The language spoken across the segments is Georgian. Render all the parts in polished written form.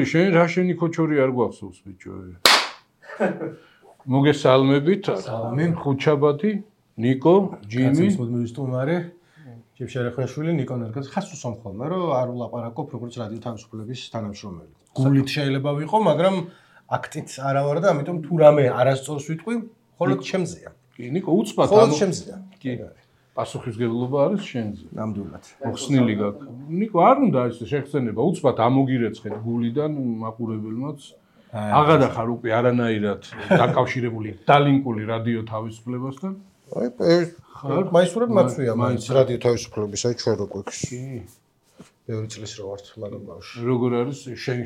შენ რა შენი ქოჩორი არ გვახსოვს ბიჭო. მოგესალმებით. სალამი. ხუჩაბადი, ნიკო, ჯიმი. მოდმოვისტუმარე. ჯებშერახვაშვილი, ნიკო ნერგას ხასუ სომხოლმა, რომ არ ვლაპარაკობ როგორც რადიო თავისუფლების თანამშრომელი. გულით შეიძლება ვიყო, მაგრამ აქტით არა ვარ და ამიტომ თუ რამე არასწორს ვიტყვი, მხოლოდ ჩემზეა. კი, ნიკო, უცბად მხოლოდ ჩემზეა. კი. პასუხისმგებლობა არის შენზე. ნამდვილად. მოხსნილი გაქვს. ნიკო, არ უნდა ეს შეხსენება, უცბად ამოგირეცხეთ გულიდან მაყურებელმაც. აღადახარ უკვე არანაირად დაკავშირებული დალინკული რადიო თავისუფლებასთან. აი, მაისურად მაცვია მაინც რადიო თავისუფლების, აი ჩვენ რო გვექს. კი. ბევრი წლის რო ვართ მაგამ ბავშვი. როგორ არის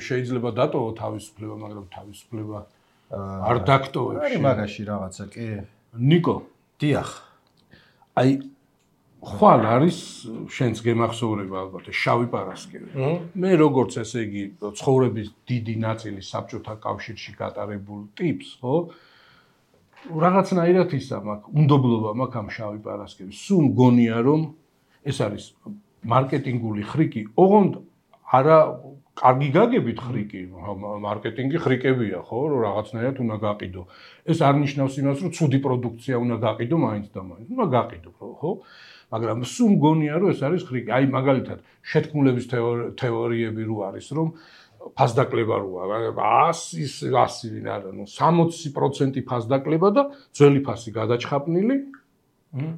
შეიძლება დატოვო თავისუფლება, მაგრამ თავისუფლება არ დაგტოვებს. არის მაგაში რაღაცა, კი. ნიკო, დიახ. აი ხვალ არის შენს გემახსოვრება ალბათ შავი პარასკევი. მე როგორც ესე იგი ცხოვრების დიდი ნაწილი საბჭოთა კავშირში გატარებულ ტიპს, ხო? რაღაცნაირად ისა მაქვს, უნდობლობა მაქვს ამ შავი პარასკევის. სულ მგონია რომ ეს არის მარკეტინგული ხრიკი, ოღონდ არა კარგი გაგებით ხრიკი, მარკეტინგი ხრიკებია, ხო, რომ რაღაცნაირად უნდა გაყიდო. ეს არ ნიშნავს იმას, რომ ცუდი პროდუქცია უნდა გაყიდო მაინც და მაინც. უნდა გაყიდო, ხო? მაგრამ სულ მგონია რომ ეს არის ხრიკი. აი მაგალითად შეთქმულების თეორიები რო არის, რომ ფასდაკლება როა, 100 ვინ არა, ნუ 60% ფასდაკლება და ძველი ფასი გადაჩხაპნილი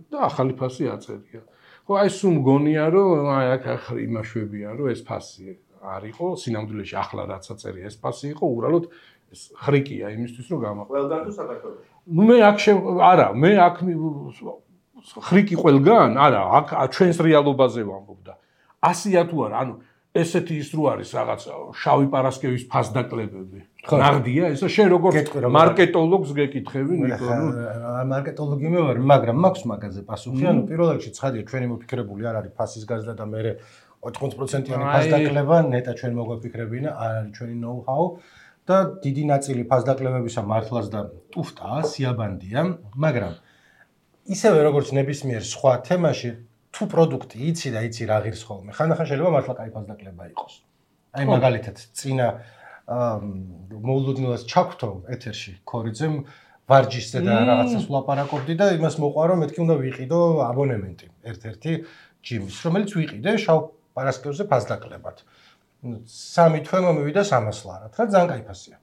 და ახალი ფასი აწერია. ხო, აი სულ მგონია რომ აი აქ იმაშვებია რომ ეს ფასი არ იყო, სინამდვილეში ახლა რაც აწერია ეს ფასი იყო, უბრალოდ ეს ხრიკია იმისთვის რომ გამაყო. ყველგან თუ საქართველოში? ნუ მე აქ არა, მე აქ ხრიკი ყველგან? არა, აქ ჩვენს რეალობაზე ვამბობ და 100-ია თუ არა, ანუ ესეთი ის რო არის რაღაც შავი პარასკევის ფასდაკლებები. ნაღდია ესა შენ როგორ მარკეტოლოგს გეკითხები ნიკო? მარკეტოლოგი მე ვარ, მაგრამ მაქვს მაგაზე პასუხი. ანუ პირველ რიგში ცხადია ჩვენი მოფიქრებული არ არის ფასის გაზრდა და მე 80%-იანი ფასდაკლება ნეტა ჩვენ მოგვაფიქრებინა, არ არის ჩვენი ნოუ-ჰაუ და დიდი ნაწილი ფასდაკლებებისა მართლაც და ტუფტაა, სიაბანდია, მაგრამ ისევე როგორც ნებისმიერ სხვა თემაში თუ პროდუქტი იცი და იცი რა ღირს ხოლმე. ხანდახან შეიძლება მართლა კაი ფასდაკლება იყოს. აი მაგალითად, წინა მოულოდნელად ჩაგვთო ეთერში ქორიძემ ვარჯიშზე და რაღაცას ვლაპარაკობდი და იმას მოყვა რომ მეთქი უნდა ვიყიდო აბონემენტი ერთ-ერთი ჯიმის, რომელიც ვიყიდე შავ პარასკევზე ფასდაკლებად. 3 თვე მომივიდა 300 ლარად, რა ძალიან კაი ფასია.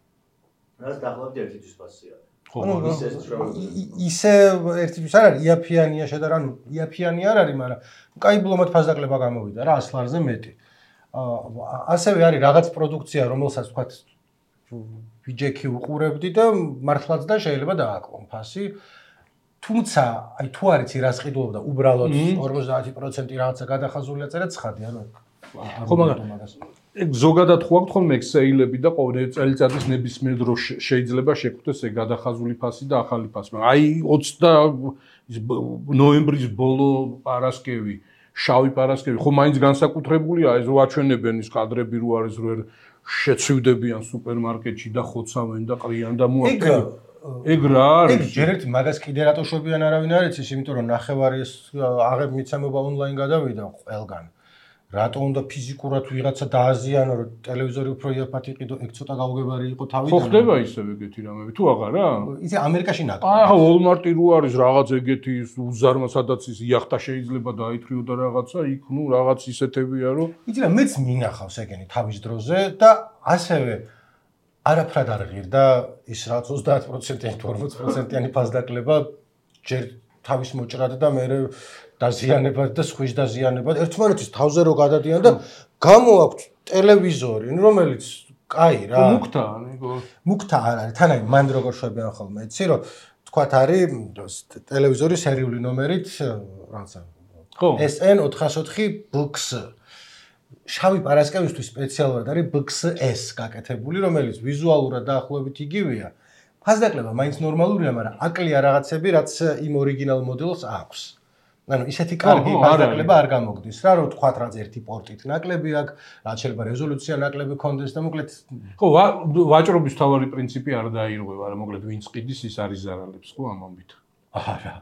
რას დახლავდი ერთთვის ფასია? ისე ერთთვის არ არის, იაფიანია შედარ, ანუ იაფიანი არ არის, მაგრამ კაი ბლომად ფასდაკლება გამოვიდა რა 100 ლარზე მეტი. ასევე არის რაღაც პროდუქცია, რომელსაც თქვათ ვიჯექი უყურებდი და მართლაც და შეიძლება დააკლონ ფასი. თუმცა, აი თუ არ იცი რას ყიდულობ და უბრალოდ 50% რაღაცა გადახაზულია წერა ცხადია, ანუ ხო, მაგრამ ეგ ზოგადად ხო აქვს ხოლმე ექსეილები და ყოველ წელიწადის ნებისმიერ დროს შეიძლება შეგვხვდეს ეგ გადახაზული ფასი და ახალი ფასი. მაგრამ აი 20 ნოემბრის ბოლო პარასკევი, შავი პარასკევი, ხო მაინც განსაკუთრებულია, ეს რო აჩვენებენ ის კადრები რო არის რო შეცვივდებიან სუპერმარკეტში და ხოცავენ და ყრიან და მოახდინენ. ეგ რა არის? ეგ ჯერ ერთი მაგას კიდე რატო შვებიან არავინ არ იცის, იმიტომ რომ ნახევარი ეს აღებ მიცემობა ონლაინ გადავიდა ყველგან. რატო უნდა ფიზიკურად ვიღაცა დააზიანო, რომ ტელევიზორი უფრო იაფად იყიდო, ეგ ცოტა გაუგებარი იყო თავიდან. ხო ხდება ისევ ეგეთი რამები, თუ აღარა? იცი ამერიკაში ნაკლებია. ახლა Walmart-ი რო არის რაღაც ეგეთი უზარმა, სადაც ის იახტა შეიძლება დაითრიო და რაღაცა, იქ ნუ რაღაც ისეთებია, რომ იცი რა, მეც მინახავს ეგენი თავის დროზე და ასევე არაფრად არ ღირდა ის რაც 30%-იანი თუ 40%-იანი ფასდაკლება ჯერ თავის მოჭრად და მე დაზიანებად და სხვის დაზიანებად ერთმანეთის თავზე რო გადადიან და გამოაქვთ ტელევიზორი, რომელიც კაი რა. მუქთაა, ნიკო. მუქთა არ არის, თან აი მან როგორ შვებიან ხოლმე, იცი რომ თქვათ არის ტელევიზორი სერიული ნომერით რაღაცა. ხო. SN 404 BX. შავი პარასკევისთვის სპეციალურად არის BX-S გაკეთებული, რომელიც ვიზუალურად დაახლოებით იგივეა. ფასდაკლება მაინც ნორმალურია, მაგრამ აკლია რაღაცები, რაც იმ ორიგინალ მოდელს აქვს. ანუ ისეთი კარგი ფასდაკლება არ გამოგდის რა, რომ თქვათ რაც ერთი პორტით ნაკლები აქვს, რაც შეიძლება რეზოლუცია ნაკლები კონდეს და მოკლედ ხო, ვაჭრობის თავარი პრინციპი არ დაირღვევა, რა მოკლედ ვინც ყიდის ის არის ზარალებს, ხო ამ ამბით. არა.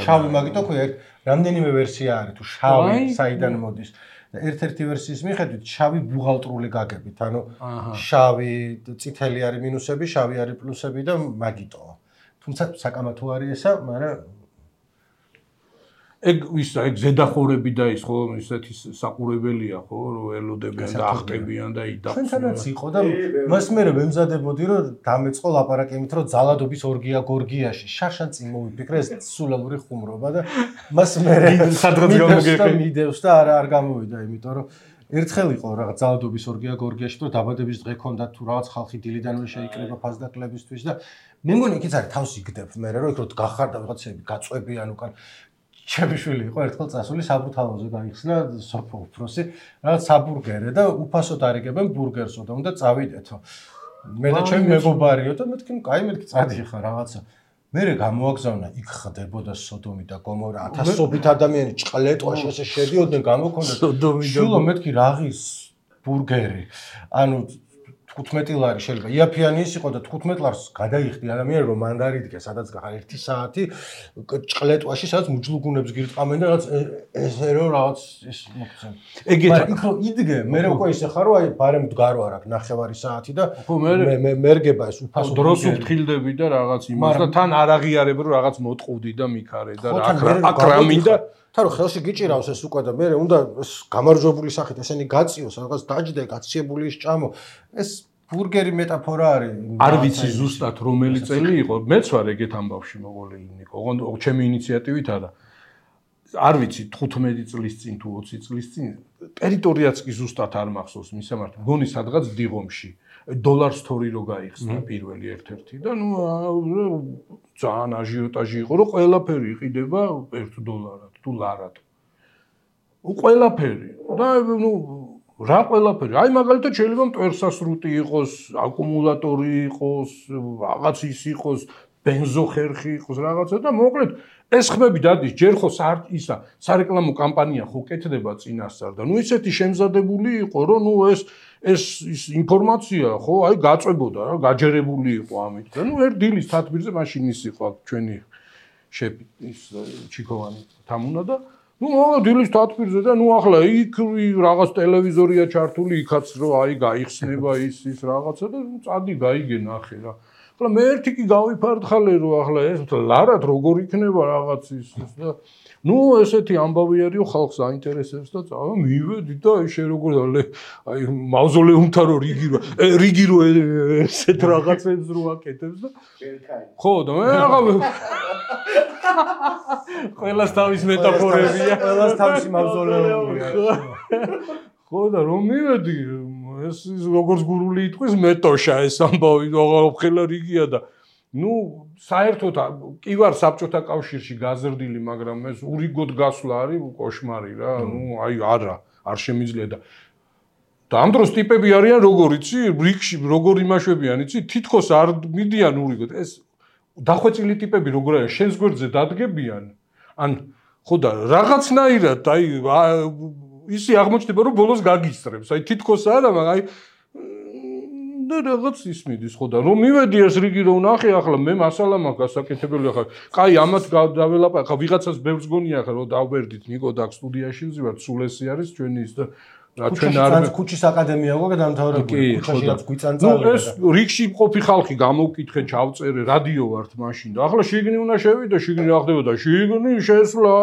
შავი მაგიტო ხო რამდენიმე ვერსია არის თუ შავი საიდან მოდის. და ერთ-ერთი ვერსიის მიხედვით შავი ბუღალტრული გაგებით, ანუ შავი, წითელი არის მინუსები, შავი არის პლუსები და მაგიტოა. თუმცა საკამათო არის ესა, მაგრამ ეგ ზედახორები და ის ხო ისეთი საყურებელია ხო რომ ელოდებიან და ახტებიან და იდახს. ჩვენთანაც იყო და მას მე ვემზადებოდი რომ დამეწყო ლაპარაკი იმით რომ ძალადობის ორგია გორგიაში შარშან წინ მოვიფიქრე ეს სულალური ხუმრობა და მას მე სადღაც გამოგეყი მიდევს და არ გამოვიდა იმიტომ რომ ერთხელ იყო რაღაც ძალადობის ორგია გორგიაში რომ დაბადების დღე ქონდა თუ რაღაც ხალხი დილიდანვე შეიკრიბა ფასდაკლებისთვის და მე მგონი იქიც არის თავს იგდებ მე რომ იქ რო გახარდა ვიღაცები გაწვევიან უკან ჩემი იყო ერთხელ წასული საბრუთავოზე გაიხსნა სოფო უფროსი რაღაც საბურგერე და უფასოდ არიგებენ ბურგერსო და უნდა წავიდეთო მე და ჩემი მეგობარიო და მეთქი კაი მეთქი წადიხარ რაღაცა მე გამოაგზავნა იქ ხდებოდა სოდომი და გომორა ათასობით ადამიანი ჭყლეტვაში ესე შედიოდნენ გამოქონდა სოდომი და შულო მეთქი რაღაც ბურგერი ანუ 15 ლარი შეიძლება იაფიანი ის იყო და 15 ლარს გადაიხდი ადამიანი რომ მანდარიდგე სადაც გახარ 1 საათი ჭყლეტვაში სადაც მუჯლუგუნებს გირტყამენ და რაღაც ესე რომ რაღაც ის მოგცემ ეგეთ იქ რომ იდგე მე უკვე ისე ხარო აი ბარემ მდგარო არ აქვს ნახევარი საათი და მე მერგება ეს უფასო დროს უფრთხილდები და რაღაც იმას და თან არ აღიარებ რომ რაღაც მოტყუდი და მიქარე და აქ რამინდა თარო ხელში გიჭირავს ეს უკვე და მე უნდა გამარჯვებული სახით ესენი გაწიოს რაღაც დაჯდა გაციებული ის ჭამო ეს ბურგერი მეტაფორა არის არ ვიცი ზუსტად რომელი წელი იყო მეც ვარ ეგეთ ამბავში მოყოლილი ნიკო ოღონდ ჩემი ინიციატივით არა არ ვიცი 15 წლის წინ თუ 20 წლის წინ ტერიტორიაც კი ზუსტად არ მახსოვს მისამართი მგონი სადღაც დიღომში დოლარს თორი რო გაიხსნა პირველი ერთ-ერთი და ნუ ძალიან აჟიოტაჟი იყო რომ ყველაფერი იყიდება 1 დოლარად თუ ლარად ყველაფერი და ნუ რა ყველაფერი აი მაგალითად შეიძლება მტვერსასრუტი იყოს აკუმულატორი იყოს რაღაც ის იყოს ბენზოხერხი იყოს რაღაცა და მოკლედ ეს ხმები დადის ჯერ ხო ისა სარეკლამო კამპანია ხო კეთდება წინასწარ და ნუ ისეთი შემზადებული იყო რომ ნუ ეს ინფორმაცია ხო აი გაწვებოდა რა გაჯერებული იყო ამით და ნუ ერთ დილის თათბირზე მაშინ ის იყო ჩვენი შეფი ის ჩიქოვანი თამუნა და ნუ დილის თათბირზე და ნუ ახლა იქ რაღაც ტელევიზორია ჩართული იქაც რომ აი გაიხსნება ის რაღაცა და წადი გაიგე ნახე რა ახლა მე ერთი კი გავიფართხალე რომ ახლა ეს ლარად როგორ იქნება რაღაც ის და ნუ ესეთი ამბავი არისო ხალხს აინტერესებს და წავა მივედი და შე როგორ აი მავზოლეუმთან რო რიგი რო ესეთ რაღაცებს რო აკეთებს და ხო და მე აღარ ყველას თავის მეტაფორებია ყველას თავისი მავზოლეუმია ხო და რომ მივედი ეს როგორც გურული იტყვის მეტოშა ეს ამბავი აღარ რიგია და ნუ საერთოდ კი ვარ საბჭოთა კავშირში გაზრდილი მაგრამ ეს ურიგოდ გასვლა არის კოშმარი რა ნუ აი არ შემიძლია და ამ დროს ტიპები არიან როგორ იცი რიგში როგორ იმაშვებიან იცი თითქოს არ მიდიან ურიგოდ ეს დახვეწილი ტიპები როგორ არის შენს გვერდზე დადგებიან ან ხო და რაღაცნაირად აი ისი აღმოჩნდება რომ ბოლოს გაგისწრებს აი თითქოს არა მაგრამ აი და რაღაც ის მიდის ხო და რომ მივედი ეს რიგი რომ ნახე ახლა მე მასალა მაქვს გასაკეთებელი ახლა კაი ამათ დაველაპარაკე ახლა ვიღაცას ბევრს გონია ახლა რომ დავბერდით ნიკო და სტუდიაში ვზივართ სულ ესე არის ჩვენი ის და ჩვენ არ ქუჩის აკადემია გვაქვს დამთავრებული ქუჩაშიაც გვიწანწალე ეს რიგში მყოფი ხალხი გამოვკითხე ჩავწერე რადიო ვართ მაშინ და ახლა შიგნი უნდა შევიდე შიგნი რა ხდებოდა შიგნი შესვლა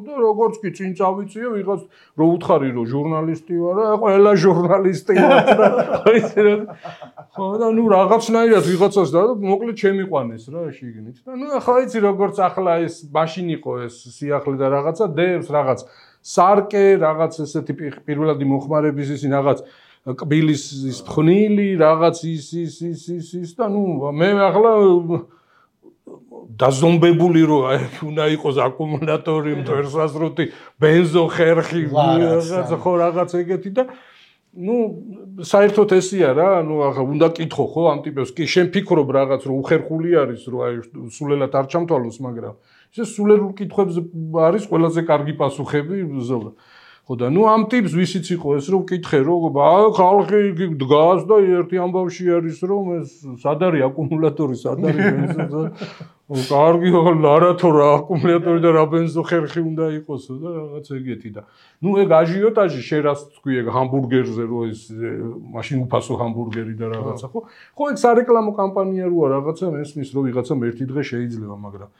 და როგორც კი წინ წავიწიე ვიღაც რო უთხარი რომ ჟურნალისტი ვარ და ყველა ჟურნალისტი ვარ და ხო და ნუ რაღაცნაირად ვიღაცას და მოკლედ შემიყვანეს რა შიგნით და ნუ ახლა იცი როგორც ახლა ეს მაშინ იყო ეს სიახლე და რაღაცა დევს რაღაც სარკე რაღაც ესეთი პირველადი მოხმარების ისი რაღაც კბილის ის ფხნილი რაღაც ის და ნუ მე ახლა დაზომბებული რო უნდა იყოს აკუმულატორი მტვერსასრუტი ბენზო ხერხი რაღაცა ხო რაღაც ეგეთი და ნუ საერთოდ ესია რა ნუ ახლა უნდა კითხო ხო ამ ტიპებს კი შენ ფიქრობ რაღაც რომ უხერხული არის რომ აი სულელად არ ჩამთვალოს მაგრამ ეს სულელურ კითხვებზე არის ყველაზე კარგი პასუხები ხო და ნუ ამ ტიპს ვისიც იყო ეს რომ ვკითხე რომ ხალხი დგას და ერთი ამბავში არის რომ ეს სად არის აკუმულატორი სად არის ბენზო კარგი არა თუ რა აკუმულატორი და რა ბენზო ხერხი უნდა იყოსო და რაღაც ეგეთი და ნუ ეგ აჟიოტაჟი შერას თქვი ეგ ჰამბურგერზე რომ ეს მაშინ უფასო ჰამბურგერი და რაღაცა ხო ეგ სარეკლამო კამპანია როა რაღაცა მესმის რომ ვიღაცამ ერთი დღე შეიძლება მაგრამ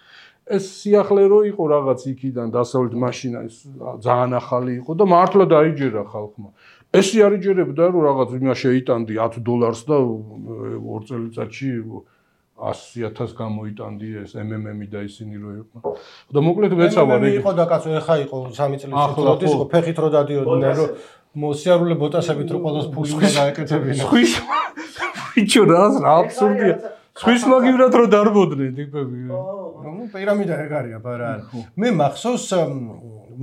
ეს სიახლე რო იყო რაღაც იქიდან დასავლეთ მაშინა ეს ძალიან ახალი იყო და მართლა დაიჯერა ხალხმა. ესე არიჯერებდა რომ რაღაც იმას შეიტანდი $10 და 2 წელიწადში 100,000 გამოიტანდი ეს MMM-ი და ისინი რო იყო. და მოკლედ ვეცავარ ეგ იყო და კაცო ეხა იყო 3 წლის წინ იყო ფეხით რო დადიოდნენ რომ მოსიარულე ბოტასებით რო ყოველს ფული უნდა გაეკეთებინა. ხვის ვიჩო რა აბსურდია. ხვის მაგივრად რო დარბოდნენ ტიპები. ნუ პირამიდა ეგ არის აბარა. მე მახსოვს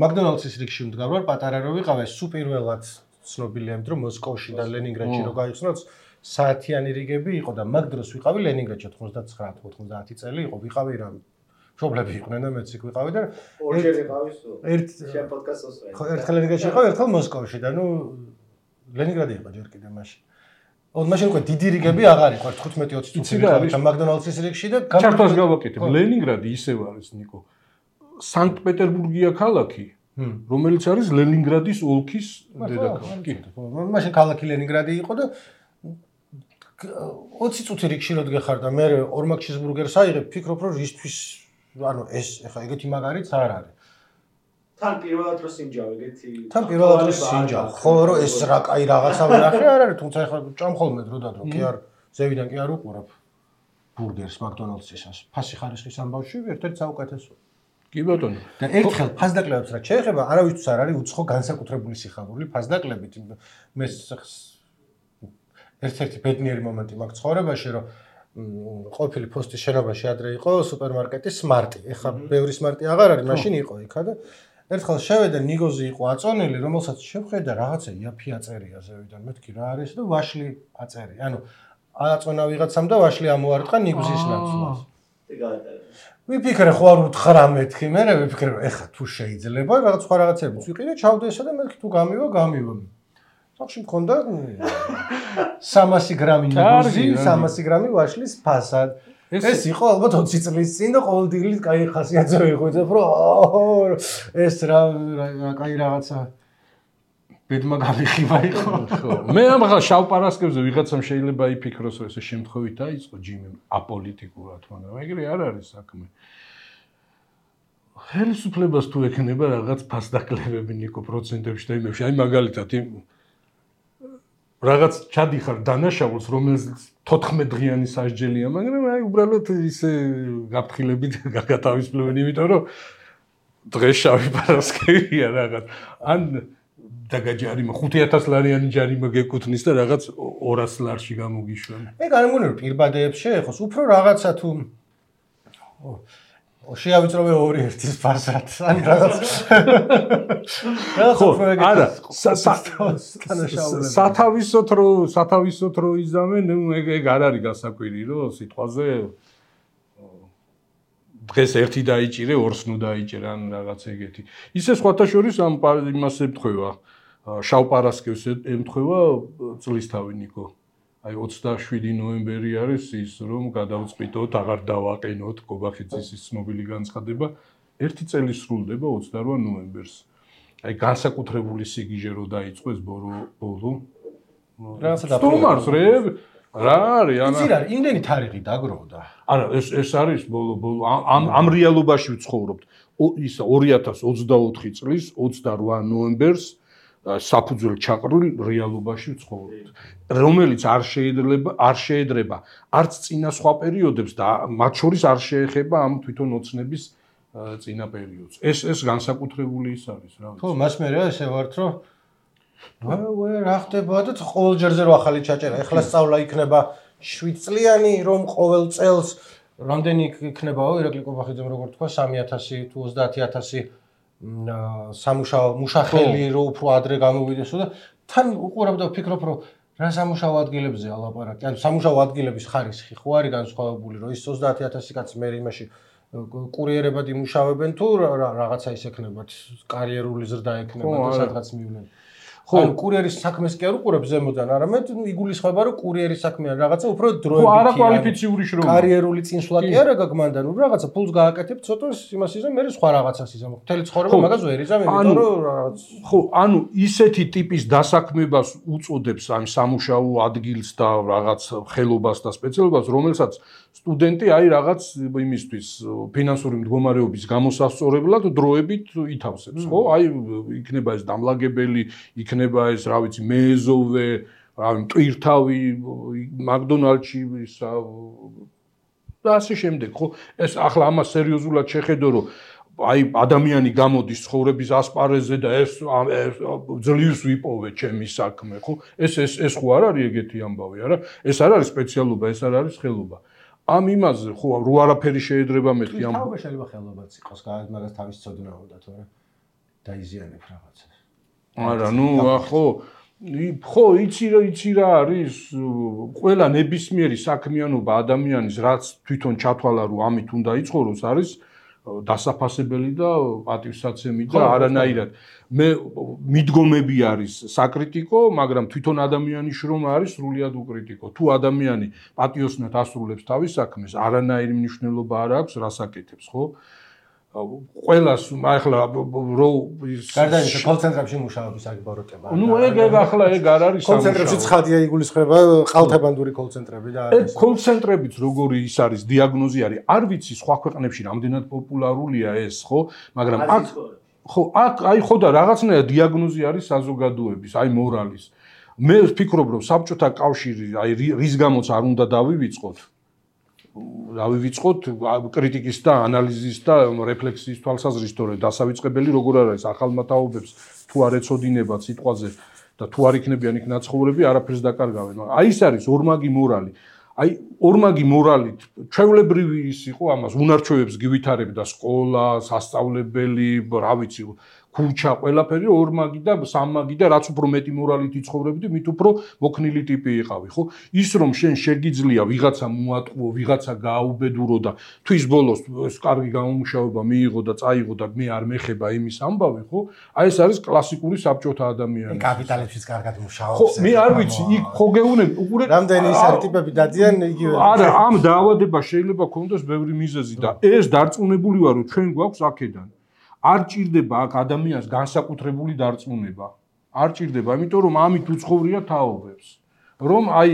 მაკდონალდსის რიგში ვდგარ პატარა რო ვიყავ ეს სუპერველად ცნობილია იმიტომ რომ მოსკოვში და ლენინგრადში რო გაიხსნოთ საათიანი რიგები იყო და მაგ დროს ვიყავი ლენინგრადში 99-90 წელი იყო ვიყავი რა მშობლები იყვნენ და მეც იქ ვიყავი და ორჯერ ვიყავი სულ შენ პოდკასტს ვსვენ ხო ერთხელ ლენინგრადში ვიყავი ერთხელ მოსკოვში და ნუ ლენინგრადი იყო ჯერ კიდე მაშინ მაშინ უკვე დიდი რიგები აღარ იყო 15-20 წუთი ვიყავი და მაკდონალდსის რიგში და ჩართვას გავაკეთებ ლენინგრადი ისევ არის ნიკო სანქტ-პეტერბურგია ქალაქი რომელიც არის ლენინგრადის ოლქის დედაქალაქი. მაშინ ქალაქი ლენინგრადი იყო და 20 წუთი რიგში რო დგეხარ და მე ორმაგ ჩიზბურგერს აიღებ, ფიქრობ რომ ისთვის ანუ ეს ეხა ეგეთი მაგარიც არ არის. თან პირველად რო სინჯავ ეგეთი. თან პირველად რო სინჯავ, ხო რომ ეს რა კაი რაღაცა ვნახე არ არის, თუმცა ეხა ჭამხოლმე დრო და დრო კი არ ზევიდან კი არ უყურებ ბურგერს მაკდონალდსისას. ფასი ხარისხის ამბავში ერთ-ერთი საუკეთესო. კი ბატონო. და ერთხელ ფასდაკლებებს რა შეეხება, არავისთვის არ არის უცხო განსაკუთრებული სიხარული ფასდაკლებით. მე ერთ-ერთი ბედნიერი მომენტი მაგ ცხოვრებაში, რომ ყოფილი პოსტის შენობაში ადრე იყო სუპერმარკეტი Smart-ი. ეხლა ბევრი Smart-ი აღარ არის, მაშინ იყო იქა და ერთხელ შევედა ნიგოზი იყო აწონილი, რომელსაც შევხედა რაღაცა იაფი აწერია ზევიდან. მეთქი რა არის და ვაშლი აწერია. ანუ აწონა ვიღაცამ და ვაშლი ამოარტყა ნიგზის ნაცვლად. ვიფიქრე ხო არ უთხრა მეთქი, მე ვიფიქრე ეხა თუ შეიძლება რაღაც სხვა რაღაცებიც ვიყიდე, ჩავდე ესა და მეთქი თუ გამივა. სახში მქონდა 300 გრამი ნიგოზი, 300 გრამი ვაშლის ფასად. ეს იყო ალბათ 20 წლის წინ და ყოველდღიურად კაი ხასიათზე ვიღვიძებ, რომ ეს რა კაი რაღაცა ბედმა გამიხივა იყო. მე ამხა შავ პარასკევზე ვიღაცამ შეიძლება იფიქროს, რომ ესე შემთხვევით დაიწყო ჯიმი აპოლიტიკურად, მაგრამ ეგრე არ არის საქმე. ხელისუფლებას თუ ექნება რაღაც ფასდაკლებები ნიკო პროცენტებში და იმებში, აი მაგალითად იმ რაღაც ჩადიხარ დანაშაულს, რომელიც 14 დღიანი სასჯელია, მაგრამ აი უბრალოდ ისე გაფრთხილებით გაგათავისუფლებენ, იმიტომ რომ დღეს შავი პარასკევია რაღაც. ან დაგაჯარიმა 5000 ლარიანი ჯარიმა გეკუთნის და რაღაც 200 ლარში გამოგიშვენ. ეგ არ მგონია რომ პირბადეებს შეეხოს, უფრო რაღაცა თუ შეავიწროვე 2-1-ის ფასად, ან რაღაც. ხო, არა, სათავისოთ რო იზამენ, ეგ არ არის გასაკვირი, რომ სიტყვაზე დღეს ერთი დაიჭირე, ორს ნუ დაიჭერე, ან რაღაც ეგეთი. ისე სხვათა შორის ამ იმას ემთხვევა, შავ პარასკევს ემთხვევა წლისთავი ნიკო. აი 27 ნოემბერი არის ის რომ გადავწყვიტოთ, აღარ დავაყენოთ კობახიძის ის ცნობილი განცხადება. ერთი წელი სრულდება 28 ნოემბერს. აი განსაკუთრებული სიგიჟე რო დაიწყო ეს ბოლო. რაღაცა სტუმარს რე რა არის ანა? იცი რა, იმდენი თარიღი დაგროვდა. არა, ეს არის ბოლო ამ რეალობაში ვცხოვრობთ. ის 2024 წლის 28 ნოემბერს საფუძველ ჩაყრილ რეალობაში ვცხოვრობთ, რომელიც არ შეედრება არც წინა სხვა პერიოდებს და მათ შორის არ შეეხება ამ თვითონ ოცნების წინა პერიოდს. ეს განსაკუთრებული ის არის, რა ვიცი. ხო, მას მე რა ესე ვართ, რომ რა ხდება და ყოველ ჯერზე რო ახალი ჩაჭერა. ეხლა სწავლა იქნება 7 წლიანი, რომ ყოველ წელს რამდენი იქნებაო ირაკლი კობახიძემ როგორ თქვა 3000 თუ 30000 სამუშაო მუშახელი რო უფრო ადრე გამოვიდესო და თან უყურებ და ვფიქრობ რომ რა სამუშაო ადგილებზეა ლაპარაკი. ანუ სამუშაო ადგილების ხარისხი ხო არის განსხვავებული, რომ ის 30000 კაცი მე იმაში კურიერებად იმუშავებენ თუ რაღაცა ის ექნებათ, კარიერული ზრდა ექნებათ და სადღაც მივლენ. ხო, კურიერის საქმეს კი არ უყურებს ზემოდან, არამედ იგულისხმება, რომ კურიერის საქმე არ რაღაცა უფრო დროებით. ხო, არაკვალიფიციური შრომა. კარიერული წინსვლა კი არა გაგმანდა, ნუ რაღაცა ფულს გააკეთებ, ცოტა იმას იზამ, მე სხვა რაღაცას იზამ. მთელი ცხოვრება მაგას ვერ იზამ, იმიტომ რომ რაღაც ხო, ანუ ისეთი ტიპის დასაქმებას უწოდებს ამ სამუშაო ადგილს და რაღაც ხელობას და სპეციალობას, რომელსაც სტუდენტი აი რაღაც იმისთვის ფინანსური მდგომარეობის გამოსასწორებლად დროებით ითავსებს, ხო? აი იქნება ეს დამლაგებელი, იქნება ეს, რა ვიცი, მეზოვე, მტვირთავი, მაკდონალდში ისა და ასე შემდეგ, ხო? ეს ახლა ამას სერიოზულად შეხედო, რომ აი ადამიანი გამოდის ცხოვრების ასპარეზზე და ეს ძლივს ვიპოვე ჩემი საქმე, ხო? ეს ხო არ არის ეგეთი ამბავი, არა? ეს არ არის სპეციალობა, ეს არ არის ხელობა. ამ იმაზე ხო რო არაფერი შეედრება მეთქი ამ თავობა შეიძლება ხელობაც იყოს, მაგას თავის ცოდნა უნდა თორე დაიზიანებ რაღაცას. არა, ნუ ხო, იცი რა არის ყველა ნებისმიერი საქმიანობა ადამიანის რაც თვითონ ჩათვალა რომ ამით უნდა იცხოვროს არის დასაფასებელი და პატივსაცემი და არანაირად მე მიდგომები არის საკრიტიკო, მაგრამ თვითონ ადამიანის შრომა არის სრულიად უკრიტიკო. თუ ადამიანი პატიოსნად ასრულებს თავის საქმეს, არანაირი მნიშვნელობა არ აქვს, რას აკეთებს, ხო? ყველას ახლა რო გარდა იმისა, კოლცენტრებში მუშაობის აგბოროტება. ნუ ეგ ახლა ეგ არ არის სამუშაო. კოლცენტრებში ცხადია იგულისხმება ყალთებანდური კოლცენტრები და ეგ კოლცენტრებიც როგორი ის არის დიაგნოზი არის. არ ვიცი სხვა ქვეყნებში რამდენად პოპულარულია ეს, ხო? მაგრამ აქ ხო, აი ხო და რაღაცნაირად დიაგნოზი არის საზოგადოების, აი მორალის. მე ვფიქრობ, რომ საბჭოთა კავშირი აი რის გამოც არ უნდა დავივიწყოთ კრიტიკის და ანალიზის და რეფლექსიის თვალსაზრისით, თორე დასავიწყებელი როგორ არის ახალმა თაობებს თუ არ ეცოდინება სიტყვაზე და თუ არ იქნებიან იქ ნაცხოვრები, არაფერს დაკარგავენ. აი ეს არის ორმაგი მორალი. აი ორმაგი მორალით ჩვეულებრივი ის იყო ამას უნარჩვევებს გივითარებდა სკოლა, სასწავლებელი, რა ვიცი, ქუჩა, ყველაფერი ორმაგი და სამმაგი და რაც უფრო მეტი მორალით იცხოვრებდი, მით უფრო მოქნილი ტიპი იყავი, ხო? ის რომ შენ შეგიძლია ვიღაცა მოატყუო, ვიღაცა გააუბედურო და თვის ბოლოს ეს კარგი გამომუშავება მიიღო და წაიღო და მე არ მეხება იმის ამბავი, ხო? აი ეს არის კლასიკური საბჭოთა ადამიანი. კაპიტალებშიც კარგად მუშაობს. ხო, მე არ ვიცი, იქ ხო გეუნები, უყურე რამდენი ის არის ტიპები დადიან იგივე. არა, ამ დაავადება შეიძლება ქონდეს ბევრი მიზეზი და ეს დარწმუნებული ვარ, რომ ჩვენ გვაქვს აქედან. არ ჭირდება აქ ადამიანს განსაკუთრებული დარწმუნება. არ ჭირდება, იმიტომ რომ ამით უცხოვრია თაობებს. რომ აი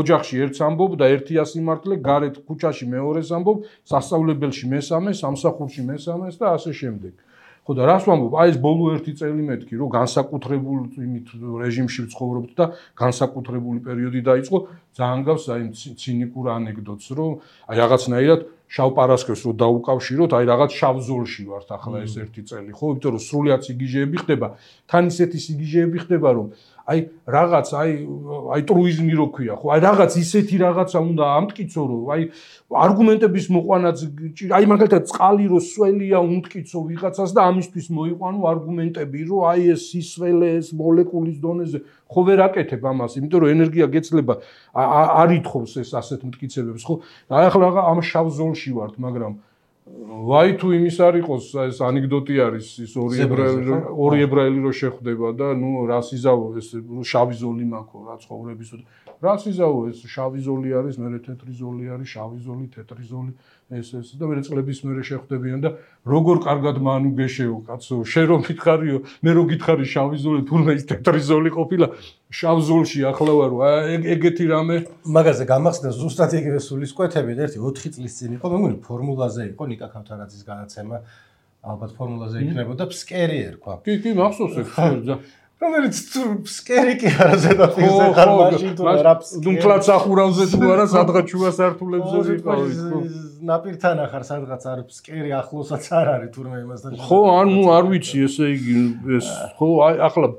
ოჯახში ერთს ამბობ და ერთი ასიმართლე, გარეთ ქუჩაში მეორეს ამბობ, სასწავლებელში მესამე, სამსახურში მესამეს და ასე შემდეგ. ხო და რას ვამბობ? აი ეს ბოლო ერთი წელი მეთქი, რომ განსაკუთრებულ იმით რეჟიმში ვცხოვრობთ და განსაკუთრებული პერიოდი დაიწყო, ძალიან გავს აი ცინიკურ ანეკდოტს, რომ აი რაღაცნაირად შავ პარასკევს რო დაუკავშიროთ, აი რაღაც შავ ზოლში ვართ ახლა ეს ერთი წელი, ხო? იმიტომ რომ სრულიად სიგიჟეები ხდება, თან ისეთი სიგიჟეები ხდება, რომ აი რაღაც აი ტრუიზმი რო ქვია, ხო? აი რაღაც ისეთი რაღაცა უნდა ამტკიცო, რომ აი არგუმენტების მოყვანაც აი მაგალითად წყალი რო სველია უმტკიცო ვიღაცას და ამისთვის მოიყვანო არგუმენტები, რომ აი ეს სისველე ეს მოლეკულის დონეზე ხო ვერ აკეთებ ამას, იმიტომ რომ ენერგია გეცლება არ ითხოვს ეს ასეთ მტკიცებებს, ხო? აი ახლა ამ შავ ზოლში ვართ, მაგრამ ვაი თუ იმის არ იყოს ეს ანეკდოტი არის ის ორი ებრაელი რო შეხვდება და ნუ რას იზავო ეს შავი ზოლი მაქვს რა ცხოვრების რას იზავო ეს შავი ზოლი არის მე თეთრი ზოლი არის შავი ზოლი თეთრი ზოლი ეს და მე წლების მერე შეხვდებიან და როგორ კარგად მანუ გეშეო კაცო შენ რომ გითხარიო მე რო გითხარი შავი ზოლი თურმე ის თეთრი ზოლი ყოფილა შავ ზოლში ახლა ვარო ეგეთი რამე მაგაზე გამახსნა ზუსტად იგივე სულისკვეთები ერთი 4 წლის წინ იყო მე მგონი ფორმულაზე იყო ნიკა ქავთარაძის განაცემა ალბათ ფორმულაზე იქნებოდა ფსკერი ერქვა კი მახსოვს ეს რომელიც ფსკერი კი არა ზედაპირზე ხარ მაშინ თუ რა ფსკერი თუმცა სახურავზე თუ არა სადღაც შუა სართულებზე ვიყავი ნაპირთან ახარ სადღაც არ ფსკერი ახლოსაც არ არის თურმე იმასთან ხო ანუ არ ვიცი ესე იგი ეს ხო აი ახლა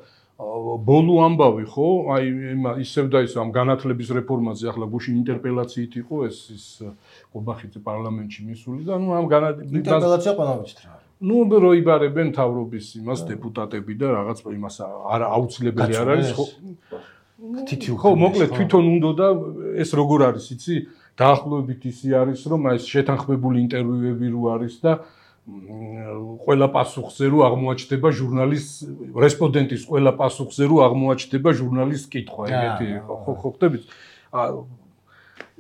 ბოლო ამბავი ხო აი ისევ და ისევ ამ განათლების რეფორმაზე ახლა გუშინ ინტერპელაციით იყო ეს ყობახიძე პარლამენტში მისული და ნუ ამ ინტერპელაცია ყველავით რა ნუ რო იბარებენ თავრობის იმას დეპუტატები და რაღაც იმას არა აუცილებელი არ არის ხო თითი ხო მოკლედ თვითონ უნდა და ეს როგორ არის იცი დაახლოებით ისე არის, რომ ეს შეთანხმებული ინტერვიუები რო არის და ყველა პასუხზე რო აღმოაჩნდება ჟურნალისტ რესპონდენტის ყველა პასუხზე რო აღმოაჩნდება ჟურნალისტ კითხვა, ეგეთი ხო ხდებით?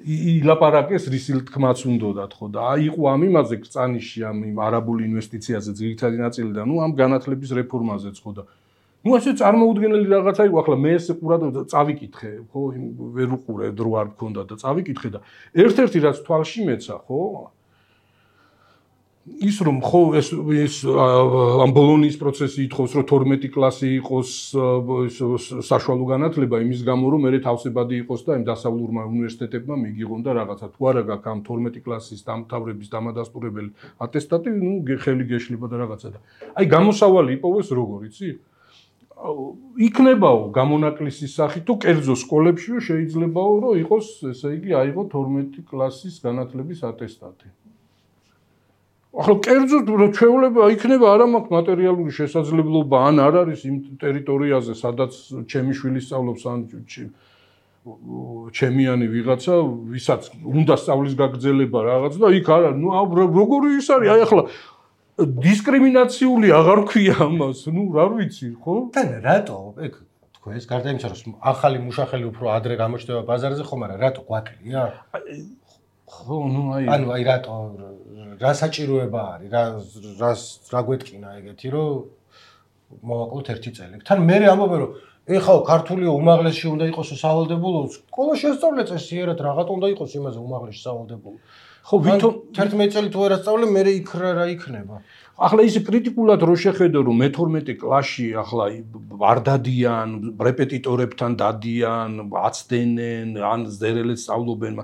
ილაპარაკეს რისილ თქმაც უნდათ ხო და იყო ამ იმაზე კრწანიში ამ არაბულ ინვესტიციაზე ძირითადი ნაწილი და ამ განათლების რეფორმაზეც ხო და ასე წარმოუდგენელი რაღაცა იყო ახლა მე ეს ყურადღება წავიკითხე ხო ვერ უყურე დრო არ მქონდა და წავიკითხე და ერთ-ერთი რაც თვალში მეცა ხო ის რომ ხო ეს ამ ბოლონის პროცესი ითხოვს რომ 12 კლასი იყოს საშუალო განათლება იმის გამო რომ მე თავსებადი იყოს და იმ დასავლურმა უნივერსიტეტებმა მიგიღონ და რაღაცა თუ არა გაქვს ამ 12 კლასის დამთავრების დამადასტურებელი ატესტატი ნუ ხელი გეშლება და რაღაცა და აი გამოსავალი იპოვეს როგორ იცი იქნებაო გამონაკლისის სახით თუ კერძო სკოლებშიო შეიძლებაო რომ იყოს ესე იგი აიღო 12 კლასის განათლების ატესტატი ახლა კერძო ჩვეულება იქნება არა მაქვს მატერიალური შესაძლებლობა ან არ არის იმ ტერიტორიაზე სადაც ჩემი შვილი სწავლობს ან ჩემიანი ვიღაცა ვისაც უნდა სწავლის გაგრძელება რაღაც და იქ არა ნუ როგორი ის არის აი ახლა დისკრიმინაციული აღარ ქვია ამას ნუ რა ვიცი ხო თან რატო ეგ თქვენს გარდა იმისა რომ ახალი მუშახელი უფრო ადრე გამოჩნდება ბაზარზე ხომ არა რატო გვაკლია ხო ნუ ანუ აი რატო რა საჭიროება არის რა გვეთკინა ეგეთი რომ მოვაკლოთ ერთი წელი თან მე ამბობენ რომ ეხაო ქართულიო უმაღლესში უნდა იყოს სავალდებულო სკოლაში ესწავლე წესიერად რაღაცა უნდა იყოს იმაზე უმაღლესში სავალდებულო ხო ვითომ 11 წელი თუ არ ასწავლე მე იქ რა იქნება ახლა ის კრიტიკულად რო შეხედო რომ მე-12 კლასში ახლა არ დადიან რეპეტიტორებთან დადიან აცდენენ ან ზერელებს სწავლობენ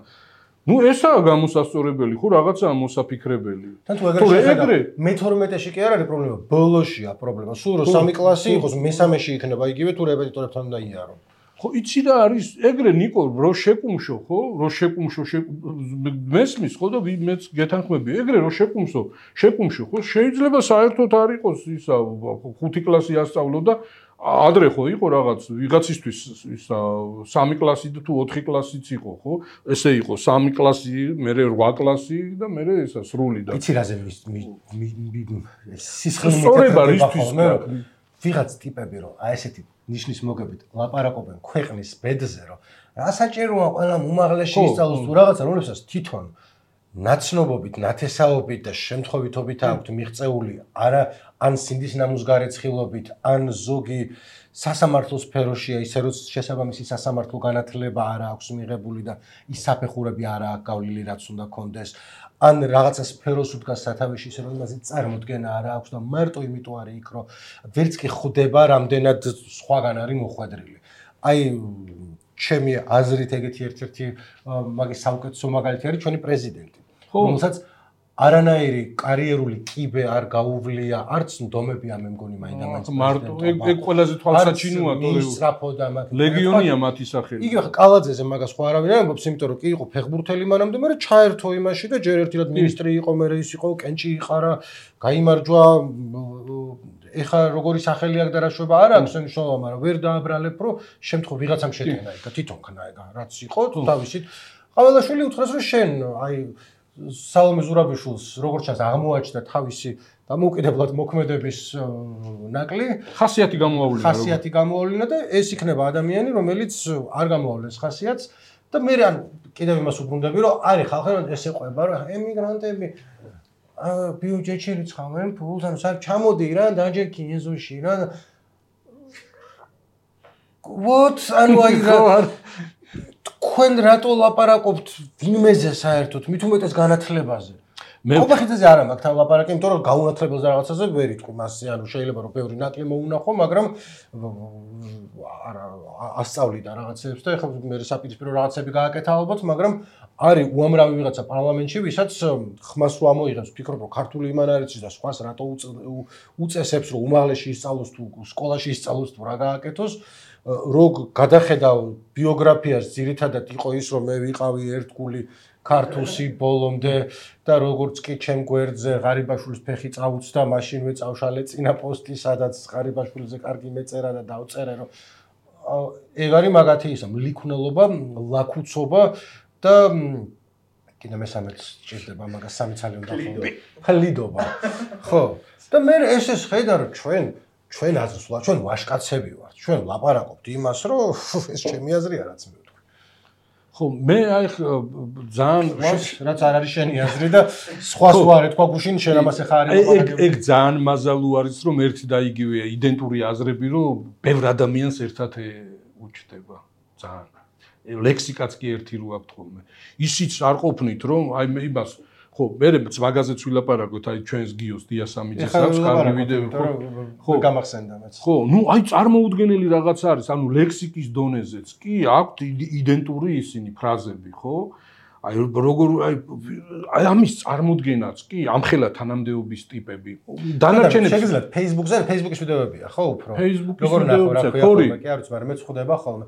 ნუ ესაა გამოსასწორებელი ხო რაღაცაა მოსაფიქრებელი თან თუ ეგრე მე-12-ში კი არ არის პრობლემა ბოლოშია პრობლემა სულ რომ 3 კლასი იყოს მე-3-ში იქნება იგივე თუ რეპეტიტორებთან უნდა იარო ხო იცი რა არის ეგრე ნიკო რო შეკუმშო ხო რო შეკუმშო მესმის ხო და მეც გეთანხმები ეგრე რო შეკუმშო ხო შეიძლება საერთოდ არ იყოს ისა 5 კლასი ასწავლო და ადრე ხო იყო რაღაც ვიღაცისთვის ისა 3 კლასი თუ 4 კლასიც იყო ხო ესე იყო 3 კლასი მე 8 კლასი და მე ესა სრული და იცი რაზე სისხლი ვიღაც ტიპები რომ აი ესეთი ნიშნის მოგებით ლაპარაკობენ ქვეყნის ბედზე რომ რა საჭიროა ყველა უმაღლესში ისწავლოს თუ რაღაცა რომლებსაც თვითონ ნაცნობობით, ნათესაობით და შემთხვევითობით აქვთ მიღწეული არა ან სინდის ნამუსგარეცხილობით, ან ზოგი სასამართლო სფეროშია, ისე რომ შესაბამისი სასამართლო განათლება არა აქვს მიღებული და ის საფეხურები არა აქვს გავლილი, რაც უნდა კონდეს, ან რაღაცა სფეროს უდგას სათავეში, ისე რომ იმაზე წარმოდგენა არა აქვს და მარტო იმიტომ არის იქ, რომ ვერც კი ხვდება, რამდენად სხვაგან არის მოხვედრილი. აი ჩემი აზრით ეგეთი ერთ-ერთი მაგის საუკეთესო მაგალითი არის ჩვენი პრეზიდენტი. რომელსაც არანაირი კარიერული კიბე არ გაუვლია, არც ნდომებია მე მგონი მაინდა-მაინც. მარტო ეგ ყველაზე თვალსაჩინოა თორე ლეგიონია მათი სახელი. იგივე კალაძეზე მაგას ხო არავინ არ ამბობს, იმიტომ რომ კი იყო ფეხბურთელი მანამდე, მაგრამ ჩაერთო იმაში და ჯერ ერთად მინისტრი იყო, მე ის იყო, კენჭი იყარა, გაიმარჯვა ეხა როგორი სახელი აქვს და რა შვება არ აქვს მნიშვნელობა, მაგრამ ვერ დააბრალებ, რომ შემთხვევ ვიღაცამ შეტენა ეგ და თვითონ ხნა ეგ რაც იყო თავისით. ყაველაშვილი უთხრეს რომ შენ აი სალომე ზურაბიშვილს როგორც ჩანს აღმოაჩნდა თავისი დამოუკიდებლად მოქმედების ნაკლი, ხასიათი გამოავლინა და ეს იქნება ადამიანი, რომელიც არ გამოავლენს ხასიათს და მე ან კიდევ იმას უბრუნდები, რომ არის ხალხი ეს ეყვება, რომ ემიგრანტები ბიუჯეტში რიცხავენ ფულს, ანუ საერთოდ ჩამოდი რა, დაჯექი ეზოში რა. ანუ აი რა თქვენ რატო ლაპარაკობთ ვინმეზე საერთოდ, მით უმეტეს განათლებაზე? ყოფახიძეზე არ მაქვს თან ლაპარაკი, იმიტომ რომ გაუნათლებელზე რაღაცაზე ვერ იტყვი მასზე, ანუ შეიძლება რომ ბევრი ნაკლი მოუნახო, მაგრამ არა ასწავლიდა რაღაცებს და ეხლა მე საპირისპირო რაღაცები გააკეთა ალბათ, მაგრამ არის უამრავი ვიღაცა პარლამენტში, ვისაც ხმას რო ამოიღებს, ფიქრობ რომ ქართული იმან არ იცის და სხვას რატო უწესებს რომ უმაღლესში ისწავლოს თუ სკოლაში ისწავლოს თუ რა გააკეთოს. Rog გადახედავ ბიოგრაფიას ძირითადად იყო ის რომ მე ვიყავი ერთგული ქართუსი ბოლომდე და როგორც კი ჩემ გვერდზე ღარიბაშვილის ფეხი წაუწდა მაშინვე წავშალე წინა პოსტი სადაც ღარიბაშვილზე კარგი მეწერა და დავწერე რომ ეგ არის მაგათი ისა მლიქნელობა ლაქუცობა და კიდე მესამეც ჭირდება მაგას 3 ცალი უნდა ხოლმე. ხლიდობა. ხო. და მე ეს ხედა რომ ჩვენ აზრს ვლა, ჩვენ ვაშკაცები ვართ. ჩვენ ლაპარაკობთ იმას, რომ ეს ჩემი აზრია რაც მე ვთქვი. ხო, მე აი ძალიან რაც არ არის შენი აზრი და სხვას ვარ ეთქვა გუშინ შენ ამას ახლა არის ლაპარაკები. ეგ ძალიან მაზალუ არის რომ ერთი და იგივეა იდენტური აზრები რომ ბევრ ადამიანს ერთად უჩდება ძალიან. ლექსიკაც კი ერთი რო აქვს ხოლმე. ისიც არ ყოფნით რომ აი იმას ხო, მე მაგაზეც ვილაპარაკოთ, აი ჩვენს გიოს დიასამიძეს აქვს კარგი ვიდეო, ხო, გამახსენდა მეც. ხო, ნუ აი წარმოუდგენელი რაღაც არის, ანუ ლექსიკის დონეზეც კი აქვს იდენტური ისინი ფრაზები, ხო? აი როგორ აი ამის წარმოდგენაც კი ამხელა თანამდებობის ტიპები. დანარჩენებს შეგიძლიათ Facebook-ის ვიდეოებია, ხო, უფრო? როგორ ნახო რა ქვია, კი არ ვიცი, მაგრამ მე წხვდება ხოლმე.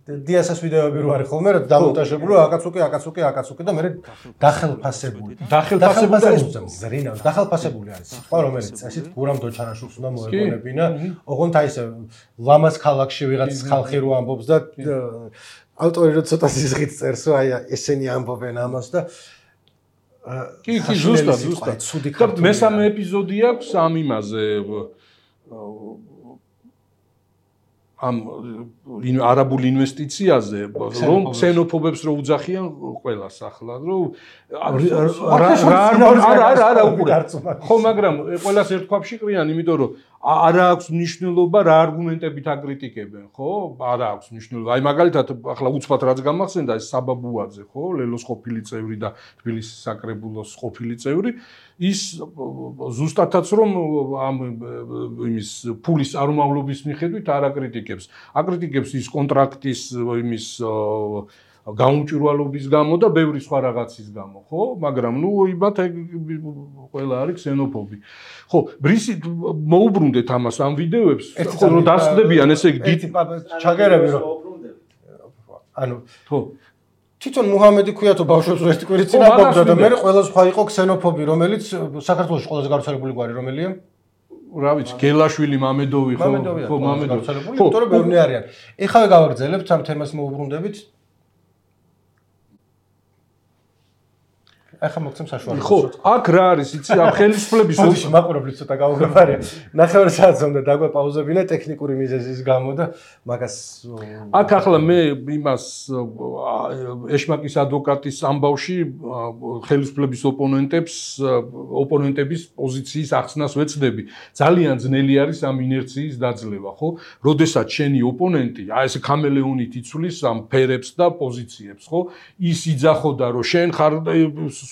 დიასას ვიდეოები რო არის ხოლმე, რომ დამონტაჟებული აკაცუკი და მე დახელფასებული. დახელფასებული არის. სხვა რომელიც წესით გურამ დოჩანაშვილს უნდა მოეყოლებინა, ოღონდ აი ესე ლამას ქალაქში ვიღაც ხალხი რო ამბობს და ავტორი რო ცოტა სიზღით წერს, აი ესენი ამბობენ ამას და კი, ზუსტად. და მესამე ეპიზოდი აქვს ამ იმაზე ამ არაბულ ინვესტიციაზე რომ ქსენოფობებს რო უძახიან ყველას ახლა რომ არა უყურე ხო მაგრამ ყველას ერთქვაფში ყრიან იმიტომ რომ არა აქვს მნიშვნელობა რა არგუმენტებით აკრიტიკებენ ხო არა აქვს მნიშვნელობა აი მაგალითად ახლა უცბად რაც გამახსენდა ეს საბაბუაძე ხო ლელოს ყოფილი წევრი და თბილისის საკრებულოს ყოფილი წევრი ის ზუსტადაც რომ ამ იმის ფულის წარმომავლობის მიხედვით არ აკრიტიკებს ის კონტრაქტის იმის გაუმჭვირვალობის გამო და ბევრი სხვა რაღაცის გამო, ხო? მაგრამ ნუ იმათ ყველა არის ქსენოფობი. ხო, ბრისი მოუბრუნდეთ ამას ამ ვიდეოებს, ხო, რომ დასწდებიან ესე იგი ჩაგერები რომ ანუ ხო თვითონ მუჰამედი ქვია თუ ბავშვებს ერთი კვირით წინ აბობდა და მე ყველა სხვა იყო ქსენოფობი, რომელიც საქართველოს ყველაზე გავრცელებული გვარი რომელია? რა ვიცი, გელაშვილი, მამედოვი, ხო, მამედოვი. ხო, იმიტომ რომ ბევრი არიან. ეხლა გავაგრძელებთ ამ თემას მოუბრუნდებით. ახლა მოგცემ საშუალებას. ხო, აქ რა არის, იცი, ამ ხელისუფლების ოდიში მაყურებლის ცოტა გავუგებარია. ნახევარ საათს უნდა დაგვეპაუზებინა ტექნიკური მიზეზის გამო და მაგას აქ ახლა მე იმას ეშმაკის ადვოკატის ამბავში ხელისუფლების ოპონენტების პოზიციის ახსნას ვეცდები. ძალიან ძნელი არის ამ ინერციის დაძლევა, ხო? როდესაც შენი ოპონენტი, აი ესე ქამელეონით იცვლის ამ ფერებს და პოზიციებს, ხო? ის იძახოდა, რომ შენ ხარ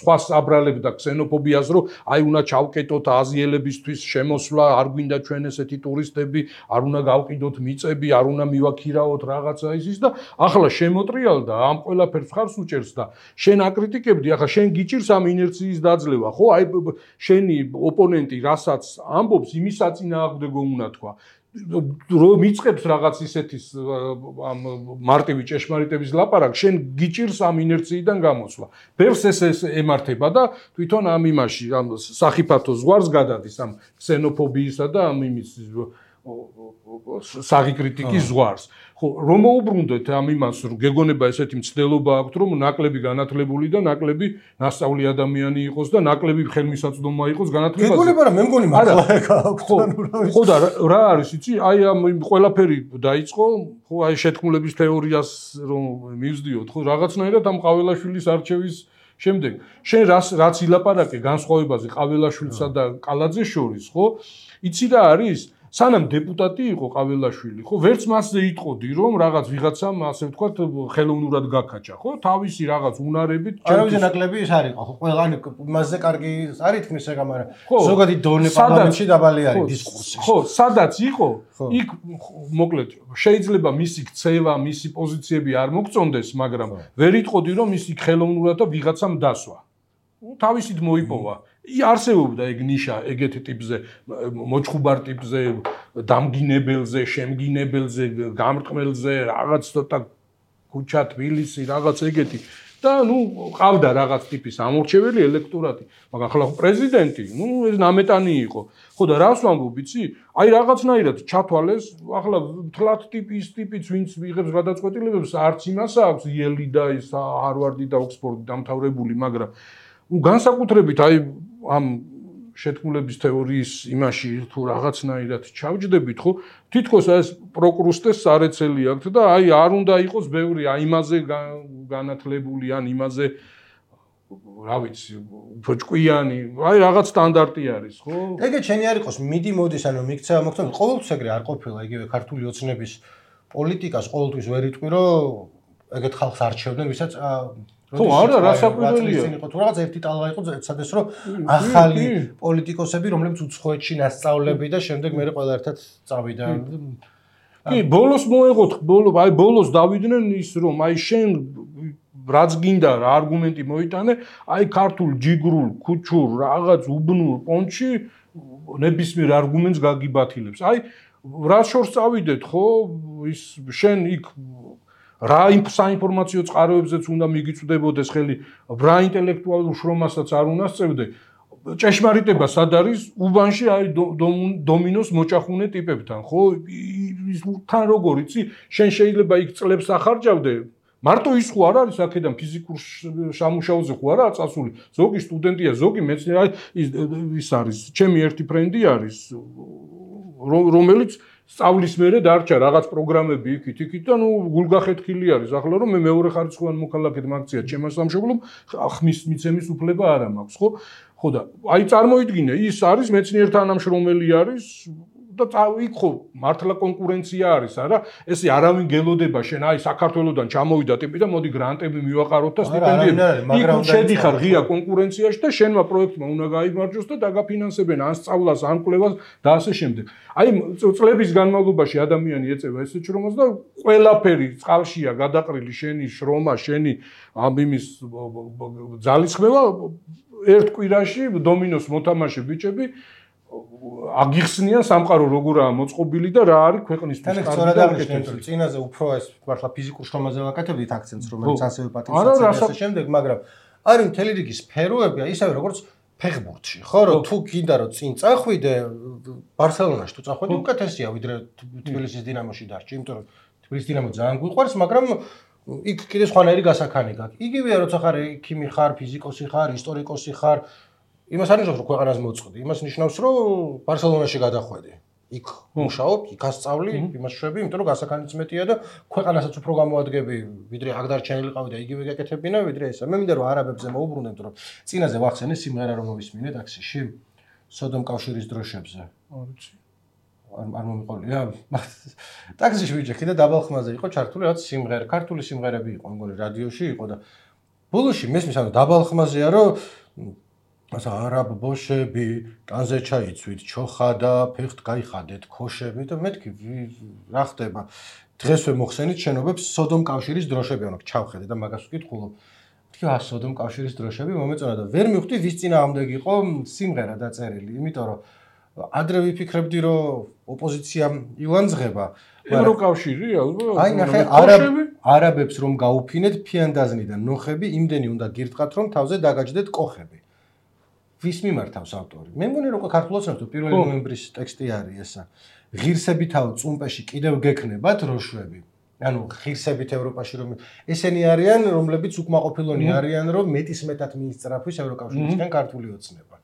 სხვას აბრალებდა ქსენოფობიას, რომ აი უნდა ჩავკეტოთ აზიელებისთვის შემოსვლა, არ გვინდა ჩვენ ესეთი ტურისტები, არ უნდა გავყიდოთ მიწები, არ უნდა მივაქირაოთ რაღაცა ისის და ახლა შემოტრიალდა ამ ყველაფერს ხარს უჭერს და შენ აკრიტიკებდი, ახლა შენ გიჭირს ამ ინერციის დაძლევა, ხო? აი შენი ოპონენტი რასაც ამბობს, იმის საწინააღმდეგო უნდა თქვა. რომ იწყებს რაღაც ისეთის ამ მარტივი ჭეშმარიტების ლაპარაკს, შენ გიჭირს ამ ინერციიდან გამოსვლა. ბევრს ეს ემართება და თვითონ ამ იმაში, ამ სახიფათო ზღვარს გადადის ამ ქსენოფობიისა და ამ იმის საღი კრიტიკის ზღვარს. ხო, რომ მოუბრუნდეთ ამ იმას, რომ გეგონება ესეთი მცდელობა აქვს, რომ ნაკლები განათლებული და ნაკლები ნასწავლი ადამიანი იყოს და ნაკლები ხელმისაწვდომა იყოს განათლებაზე. გეგონება რა, მე მგონი მართლა აქვს. ხო და რა არის, იცი? აი ამ ყველაფერი დაიწყო, ხო, აი შეთქმულების თეორიას რომ მივსდიოთ, ხო, რაღაცნაირად ამ ყაველაშვილის არჩევის შემდეგ. შენ რაც ილაპარაკე განსხვავებაზე ყაველაშვილსა და კალაძეს შორის, ხო? იცი რა არის? სანამ დეპუტატი იყო ყაველაშვილი, ხო, ვერც მასზე იტყოდი, რომ რაღაც ვიღაცამ, ასე ვთქვათ, ხელოვნურად გაკაჭა, ხო? თავისი რაღაც უნარებით არავის ნაკლები ის არ იყო, ხო? ყველა ან მასზე კარგი არ ითქმის ეგ, მაგრამ ზოგადი დონე პარლამენტში დაბალი არის დისკურსი. ხო, სადაც იყო, იქ მოკლედ შეიძლება მისი ქცევა, მისი პოზიციები არ მოგწონდეს, მაგრამ ვერ იტყოდი, რომ ის იქ ხელოვნურად და ვიღაცამ დასვა. თავისით მოიპოვა. არსებობდა ეგ ნიშა ეგეთი ტიპზე, მოჩხუბარ ტიპზე, დამგინებელზე, შემგინებელზე, გამრტყმელზე, რაღაც ცოტა ქუჩა, თბილისი, რაღაც ეგეთი. და ყავდა რაღაც ტიპის ამორჩეველი ელექტორატი, მაგრამ ახლა პრეზიდენტი, ეს ნამეტანი იყო. ხო და რას ვამბობ, იცი? აი რაღაცნაირად ჩათვალეს, ახლა თლათ ტიპის ტიპიც ვინც იღებს გადაწყვეტილებებს, არც იმას აქვს იელი და ის ჰარვარდი და ოქსფორდი დამთავრებული, მაგრამ განსაკუთრებით აი ამ შეთქმულების თეორიის იმაში თუ რაღაცნაირად ჩავჯდებით, ხო? თითქოს ეს პროკრუსტეს სარეცელი აქვს და აი არ უნდა იყოს ბევრი აი იმაზე განათლებული ან იმაზე რა ვიცი, უფრო ჭკვიანი, აი რაღაც სტანდარტი არის, ხო? ეგეც შენი არ იყოს, მიდი მოდის, ანუ მიქცევა მოგწონს, ყოველთვის ეგრე არ ყოფილა, იგივე ქართული ოცნების პოლიტიკას ყოველთვის ვერ იტყვი, რომ ეგეთ ხალხს არჩევდნენ, ვისაც ხო, არა, რასაკვირველია. იყო თუ რაღაც ერთი ტალღა იყო, ეცადეს რომ ახალი პოლიტიკოსები, რომლებიც უცხოეთში ნასწავლები და შემდეგ მე ყველა ერთად წავიდა. კი, ბოლოს მოეღოთ, ბოლოს დავიდნენ ის რომ აი შენ რაც გინდა რა არგუმენტი მოიტანე, აი ქართულ ჯიგრულ, ქუჩურ, რაღაც უბნურ პონჩი ნებისმიერ არგუმენტს გაგიბათილებს. აი რა შორს წავიდეთ, ხო? ის შენ იქ რა საინფორმაციო წყაროებზეც უნდა მიგიწვდებოდეს ხელი, რა ინტელექტუალურ შრომასაც არ უნდა სწევდე. ჭეშმარიტება სად არის? უბანში აი დომინოს მოჭახუნე ტიპებთან, ხო? თან როგორ იცი? შენ შეიძლება იქ წლებს ახარჯავდე. მარტო ის ხო არ არის აქედან ფიზიკურ სამუშაოზე ხო არა წასული. ზოგი სტუდენტია, ზოგი მეცნიერი, ის არის, ჩემი ერთი ფრენდი არის, რომელიც სწავლის მერე დარჩა რაღაც პროგრამები იქით და გულგახეთქილი არის. ახლა რომ მე მეორე ხარისხოვან მოქალაქედ მაგცია ჩემს სამშობლომ, ხმის მიცემის უფლება არ მაქვს, ხო? ხო და აი წარმოიდგინე, ის არის მეცნიერთანამშრომელი არის და იქ ხო მართლა კონკურენცია არის, არა? ესე არავინ გელოდება შენ აი საქართველოსდან ჩამოვიდა ტიპი და მოდი გრანტები მივაყაროთ და სტიპენდიები. იქ შედიხარ ღია კონკურენციაში და შენმა პროექტმა უნდა გაიმარჯვოს და დაგაფინანსებენ ან სწავლას, ან კვლევას და ასე შემდეგ. აი წლების განმავლობაში ადამიანი ეწევა ესეთ შრომას და ყველაფერი წყალშია გადაყრილი შენი შრომა, შენი ამის ძალისხმევა ერთ კვირაში დომინოს მოთამაშე ბიჭები აგიხსნიან სამყარო როგორაა მოწყობილი და რა არის ქვეყნისთვის კარგი. წინაზე უფრო ეს მართლა ფიზიკურ შრომაზე ვაკეთებდით აქცენტს, რომელიც ასევე პატივსაცემია და შემდეგ, მაგრამ არის მთელი რიგი სფეროებია, ისევე როგორც ფეხბურთში, ხო, რომ თუ გინდა რომ წინ წახვიდე, ბარსელონაში თუ წახვიდე, უკეთესია ვიდრე თბილისის დინამოში დარჩი, იმიტომ რომ თბილისის დინამო ძალიან გვიყვარს, მაგრამ იქ კიდე სხვანაირი გასაქანი გაქვს. იგივეა, როცა ხარ ექიმი ხარ, ფიზიკოსი ხარ, ისტორიკოსი ხარ, იმას არ ნიშნავს, რომ ქვეყანას მოწყდი. იმას ნიშნავს, რომ ბარსელონაში გადახვედი. იქ მუშაობ, იქ ასწავლი, იმას შვები, იმიტომ რომ გასაქანიც მეტია და ქვეყანასაც უფრო გამოადგები, ვიდრე აქ დარჩენილიყავი და იგივე გაკეთებინა, ვიდრე ესა. მე მინდა რომ არაბებზე მოუბრუნდეთ, რომ წინაზე ვახსენე სიმღერა რომ მოვისმინე ტაქსიში, სოდომ კავშირის დროშებზე. არ ვიცი. არ მომიყოლია. ტაქსიში ვიჯექი და დაბალხმაზე იყო ჩართული რაც სიმღერა, ქართული სიმღერები იყო, მგონი რადიოში იყო და ბოლოში მესმის, ანუ დაბალხმაზეა, რომ ასა არაბ ბოშები, კანზე ჩაიცვით, ჩოხა და ფეხთ გაიხადეთ ქოშები და მეთქი რა ხდება? დღესვე მოხსენით შენობებს სოდომ კავშირის დროშები, ანუ ჩავხედე და მაგას ვკითხულობ. მეთქი სოდომ კავშირის დროშები მომეწონა და ვერ მივხვდი ვის წინააღმდეგ იყო სიმღერა დაწერილი, იმიტომ რომ ადრე ვიფიქრებდი რომ ოპოზიციამ ილანძღება. ევროკავშირი ალბათ. აი ნახე არაბებს რომ გაუფინეთ ფიანდაზნიდან ნოხები, იმდენი უნდა გირტყათ რომ თავზე დაგაჯდეთ კოხები. ვის მიმართავს ავტორი? მე მგონი რომ ქართულადაც ნახეთ 1 ნოემბრის ტექსტი არის ესა. ღირსებითავ წუმპეში კიდევ გექნებათ როშვები. ანუ ღირსებით ევროპაში რომ ესენი არიან, რომლებიც უკმაყოფილონი არიან, რომ მეტისმეტად მიისწრაფვის ევროკავშირისგან ქართული ოცნება.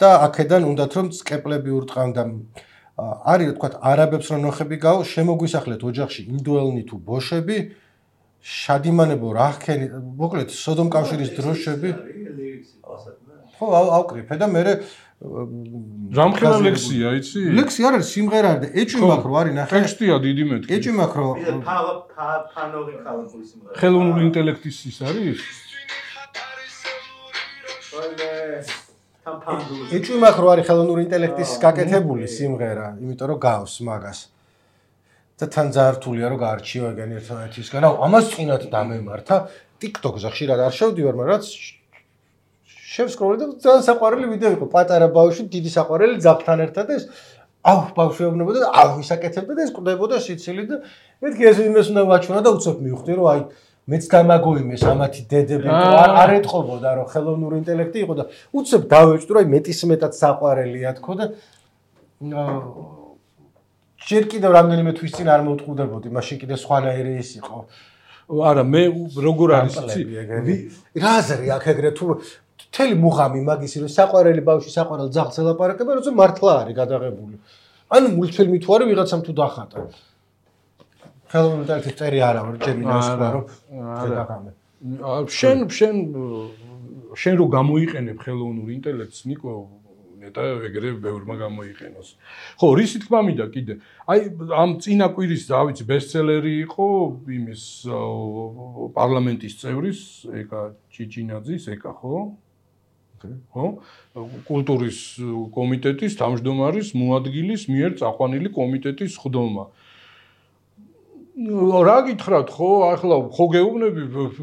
და აქედან უნდათ რომ სკეპლები ურტყან და არის რა თქვა არაბებს რომ ნოხები გაო, შემოგვისახლეთ ოჯახში ინდოელნი თუ ბოშები, შადიმანებო რახქენი, მოკლედ სოდომ კავშირის დროშები. ხო, ავკრიფე და მე რამხელა ლექსია, იცი? ლექსი არ არის, სიმღერა არის და ეჭვი მაქვს რომ არის, ნახე. ტექსტია დიდი მეთქი. ეჭვი მაქვს რომ ფანორი ქალებული სიმღერა. ხელოვნური ინტელექტის ის არის? ეჭვი მაქვს რომ არის ხელოვნური ინტელექტის გაკეთებული სიმღერა, იმიტომ რომ გავს მაგას. და თან ძართულია რომ გაარჩიო ეგენი ერთმანეთისგან. აუ, ამას წინათ დამემართა. TikTok-ზე ხშირად არ შევდივარ, მაგრამ რაც შევსკროლე და ძალიან საყვარელი ვიდეო იყო. პატარა ბავშვი, დიდი საყვარელი ძაღლთან ერთად ეს ბავშვი ეუბნებოდა და ისაკეთებდა და ეს კვდებოდა სიცილი და მეთქი ეს იმას უნდა ვაჩვენა და უცებ მივხვდი რომ აი მეც დამაგოიმეს ამათი დედები არ ეთყობოდა რომ ხელოვნური ინტელექტი იყო და უცებ დავეჭდო რომ მეტისმეტად საყვარელია თქო და ჯერ კიდევ რამდენიმე თვის წინ არ მოვტყუდებოდი მაშინ კიდე სხვანაირი ის იყო არა მე როგორ არის იცი რაზე აქ ეგრე თუ მთელი მუღამი მაგისი რომ საყვარელი ბავშვი საყვარელ ძაღლს ელაპარაკება როცა მართლა არის გადაღებული ანუ მულტფილმი თუ არის ვიღაცამ თუ დახატა ხელოვნური ინტელექტის წერი არა ვარ ჯერმინას ვარ რომ დაგამე შენ რო გამოიყენებ ხელოვნური ინტელექტს ნიკო ნეტა ეგრე ბევრმა გამოიყენოს ხო რისი თქმა მინდა კიდე აი ამ წინა კვირის რა ვიცი ბესტსელერი იყო იმის პარლამენტის წევრის ეკა ჭიჭინაძის ეკა ხო ხო კულტურის კომიტეტის თავმჯდომარის მოადგილის მიერ წაყვანილი კომიტეტის ხდომა რა გითხრათ ხო ახლა ხო გეუბნები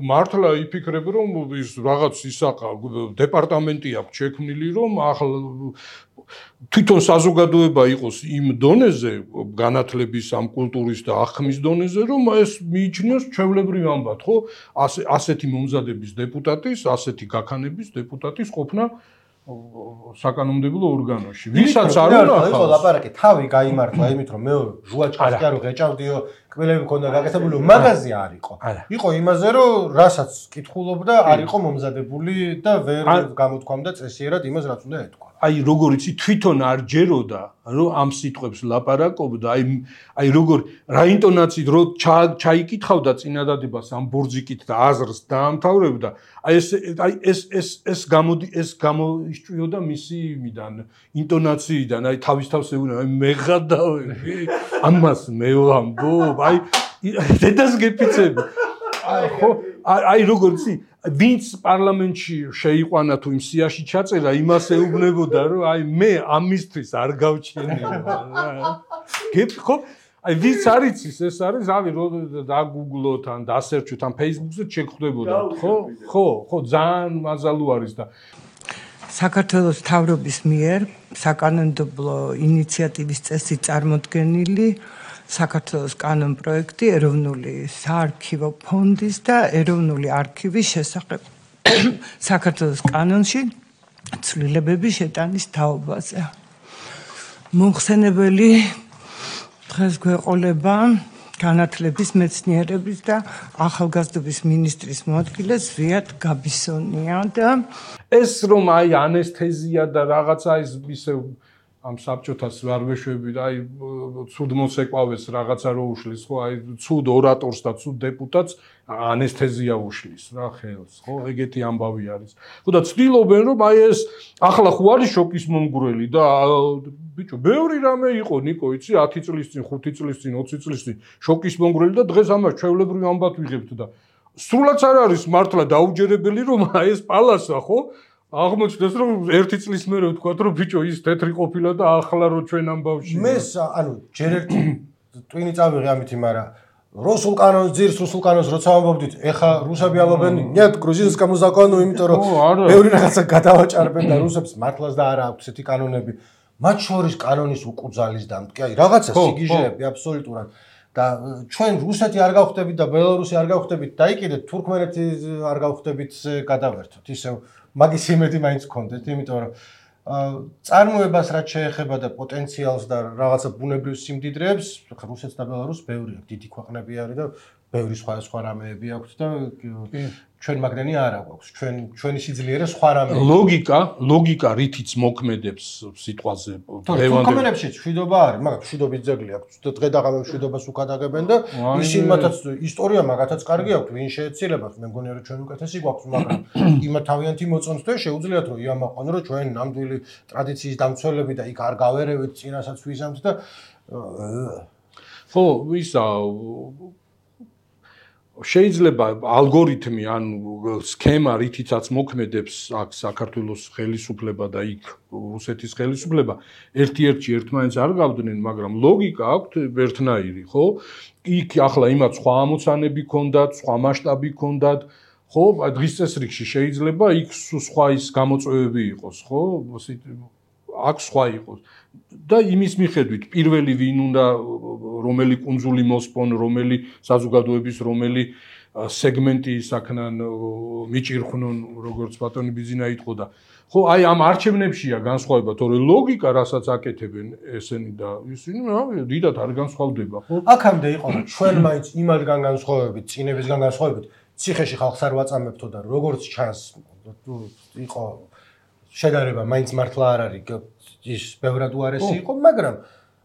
მართლა იფიქრებ რომ ის რაღაც ისაყა დეპარტამენტი აქვს შექმნილი რომ ახლა თვითონ საზოგადოება იყოს იმ დონეზე განათლების ამ კულტურის და აღქმის დონეზე რომ ეს მიიჩნიოს ჩვეულებრივ ამბად ხო ასეთი მომზადების დეპუტატის ასეთი გაქანების დეპუტატის ყოფნა საკანონმდებლო ორგანოში ვისაც არ უნდა ხო ლაპარაკი თავი გაიმართლა იმით რომ მე ჟუაჭკას კი არ ვღეჭავდიო კბილები მქონდა გაკეთებული მაგაზია არ იყო იყო იმაზე რომ რასაც კითხულობდა არ იყო მომზადებული და ვერ გამოთქვამდა წესიერად იმას რაც უნდა ეთქვა აი როგორ იცი თვითონ არ ჯეროდა რომ ამ სიტყვებს ლაპარაკობდა აი როგორ რა ინტონაციით რო ჩაიკითხავდა წინადადებას ამ ბორძიკით და აზრს დაამთავრებდა აი ეს გამოისჭვიოდა მისი იმიდან ინტონაციიდან აი თავის თავს ეუბნება მე ღადავები ამას მე ვამბობ აი დედას გეფიცები ხო აი როგორ იცი ვინც პარლამენტში შეიყვანა თუ იმ სიაში ჩაწერა იმას ეუბნებოდა რომ აი მე ამისთვის არ გავჩენია ხო აი ვინც არ იცის ეს არის რავი რო დაგუგლოთ ან დასერჩოთ ან Facebook-ზე შეგხვდებოდა ხო ძალიან მაზალუ არის და საქართველოს მთავრობის მიერ საკანონმდებლო ინიციატივის წესით წარმოდგენილი საქართველოს კანონ პროექტი ეროვნული საარქივო ფონდის და ეროვნული არქივის შესახებ საქართველოს კანონში ცვლილებების შეტანის თაობაზე. მომხსენებელი დღეს გვეყოლება განათლების მეცნიერების და ახალგაზრდობის მინისტრის მოადგილე ზვიად გაბისონია და ეს რომ აი ანესთეზია და რაღაცა ის ისე ამ საბჭოთას არ ვეშვები და აი ცუდ მოსეკვავეს რაღაცა რო უშლის ხო აი ცუდ ორატორს და ცუდ დეპუტატს ანესთეზია უშლის რა ხელს ხო ეგეთი ამბავი არის ხო და ცდილობენ რომ აი ეს ახლა ხო არის შოკის მომგვრელი და ბიჭო ბევრი რამე იყო ნიკო იცი 10 წლის წინ 5 წლის წინ 20 წლის წინ შოკის მომგვრელი და დღეს ამას ჩვეულებრივ ამბად ვიღებთ და სრულად არ არის მართლა დაუჯერებელი რომ აი ეს პალასა ხო აღმოჩნდეს რომ 1 წლის მერე ვთქვა რომ ბიჭო ის თეთრი ყოფილა და ახლა რო ჩვენ ამბავში მე ანუ ჯერ ერთი ტვინი წავიღე ამით მაგრამ რუსულ კანონს ძირს რუსულ კანონს როცა ამბობდით ეხა რუსები ამბობენ нет грузинскому закону იმიტომ რომ ბევრი რაღაცა გადავაჭარბენ და რუსებს მართლაც და არა აქვს ესეთი კანონები მათ შორის კანონის უკუძალის დამტკი აი რაღაცა სიგიჟეები აბსოლუტურად და ჩვენ რუსეთი არ გავხდებით და ბელარუსი არ გავხდებით და იყიდეთ თურქმენეთი არ გავხდებით გადავერთოთ ისევ მაგის იმედი მაინც გქონდეთ იმიტომ რომ წარმოებას რაც შეეხება და პოტენციალს და რაღაცა ბუნებრივ სიმდიდრეებს რუსეთს და ბელარუსს ბევრი აქვს დიდი ქვეყნები არის და ბევრი სხვა რამეები აქვს და ჩვენ მაგდენი არ აქვს ჩვენი სიძლიერე სხვა რამეები ლოგიკა რითიც მოქმედებს სიტყვაზე თურქმენებში მშვიდობა არის მაგრამ მშვიდობის ძეგლი აქვს და დღე და ღამე მშვიდობას უკადაგებენ და ისინი მათაც ისტორია მაგათაც კარგი აქვს ვინ შეეცილება მე მგონია რომ ჩვენ უკეთესი გვაქვს მაგრამ იმათ თავიანთი მოწონთ და შეუძლიათ რომ იამაყონ რომ ჩვენ ნამდვილი ტრადიციის დამცველები და იქ არ გავერევით წინასაც ვიზამთ და ხო ისა შეიძლება ალგორითმი ან სქემა რითიცაც მოქმედებს აქ საქართველოს ხელისუფლება და იქ რუსეთის ხელისუფლება ერთ-ერთში ერთმანეთს არ გავდნენ მაგრამ ლოგიკა აქვს ერთნაირი ხო იქ ახლა იმათ სხვა ამოცანები ქონდათ სხვა მასშტაბი ქონდათ ხო დღის წესრიგში შეიძლება იქ სხვა ის გამოწვევები იყოს ხო აქ სხვა იყოს და იმის მიხედვით პირველი ვინ უნდა რომელი კუნძული მოსპონ რომელი საზოგადოების რომელი სეგმენტი ისაქნან მიჭირხვნონ როგორც ბატონი ბიზინა იტყო და ხო აი ამ არჩევნებშია განსხვავება თორე ლოგიკა რასაც აკეთებენ ესენი და ისინი დიდად არ განსხვავდება ხო აქამდე იყო ჩვენ მაინც იმადგან განსხვავებით წინებისგან განსხვავებით ციხეში ხალხს არ ვაწამებთო და როგორც ჩანს იყო შედარება მაინც მართლა არ არის ის ბევრად უარესი იყო მაგრამ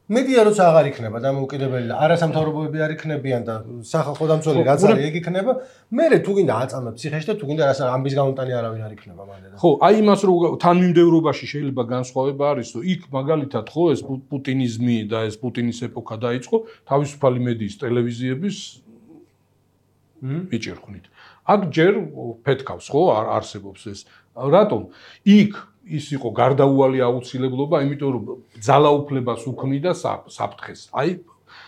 მედია როცა აღარ იქნება დამოუკიდებელი და არასამთავრობოები არ იქნებიან და სახალხო დამცველი რაც არის ეგ იქნება მე თუ გინდა აწამებ ციხეში და თუ გინდა რას ამბის გამოტანი არავინ არ იქნება მანდ და ხო აი იმას რომ თანმიმდევრობაში შეიძლება განსხვავება არის რომ იქ მაგალითად ხო ეს პუტინიზმი და ეს პუტინის ეპოქა დაიწყო თავისუფალი მედიის ტელევიზიების მიჭირხვნით აქ ჯერ ფეთქავს ხო არსებობს ეს რატომ იქ ის იყო გარდაუვალი აუცილებლობა, იმიტომ რომ ძალაუფლებას უქმნიდა საფრთხეს. აი,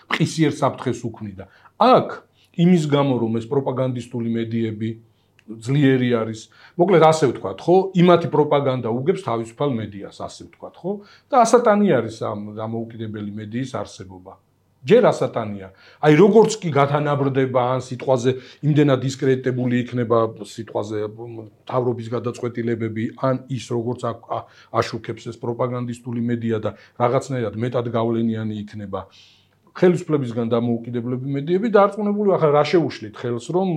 მყისიერ საფრთხეს უქმნიდა. აქ იმის გამო რომ ეს პროპაგანდისტული მედიები ძლიერი არის, მოკლედ ასე ვთქვათ, ხო? იმათი პროპაგანდა უგებს თავისუფალ მედიას, ასე ვთქვათ, ხო? და ასატანი არის ამ დამოუკიდებელი მედიის არსებობა. ჯერ ასატანია. აი როგორც კი გათანაბრდება ან სიტყვაზე იმდენად დისკრედიტებული იქნება სიტყვაზე თავრობის გადაწყვეტილებები ან ის როგორც აშუქებს ეს პროპაგანდისტული მედია და რაღაცნაირად მეტად გავლენიანი იქნება ხელისუფლებისგან დამოუკიდებლები მედიები დარწმუნებული ახლა რა შეუშლით ხელს რომ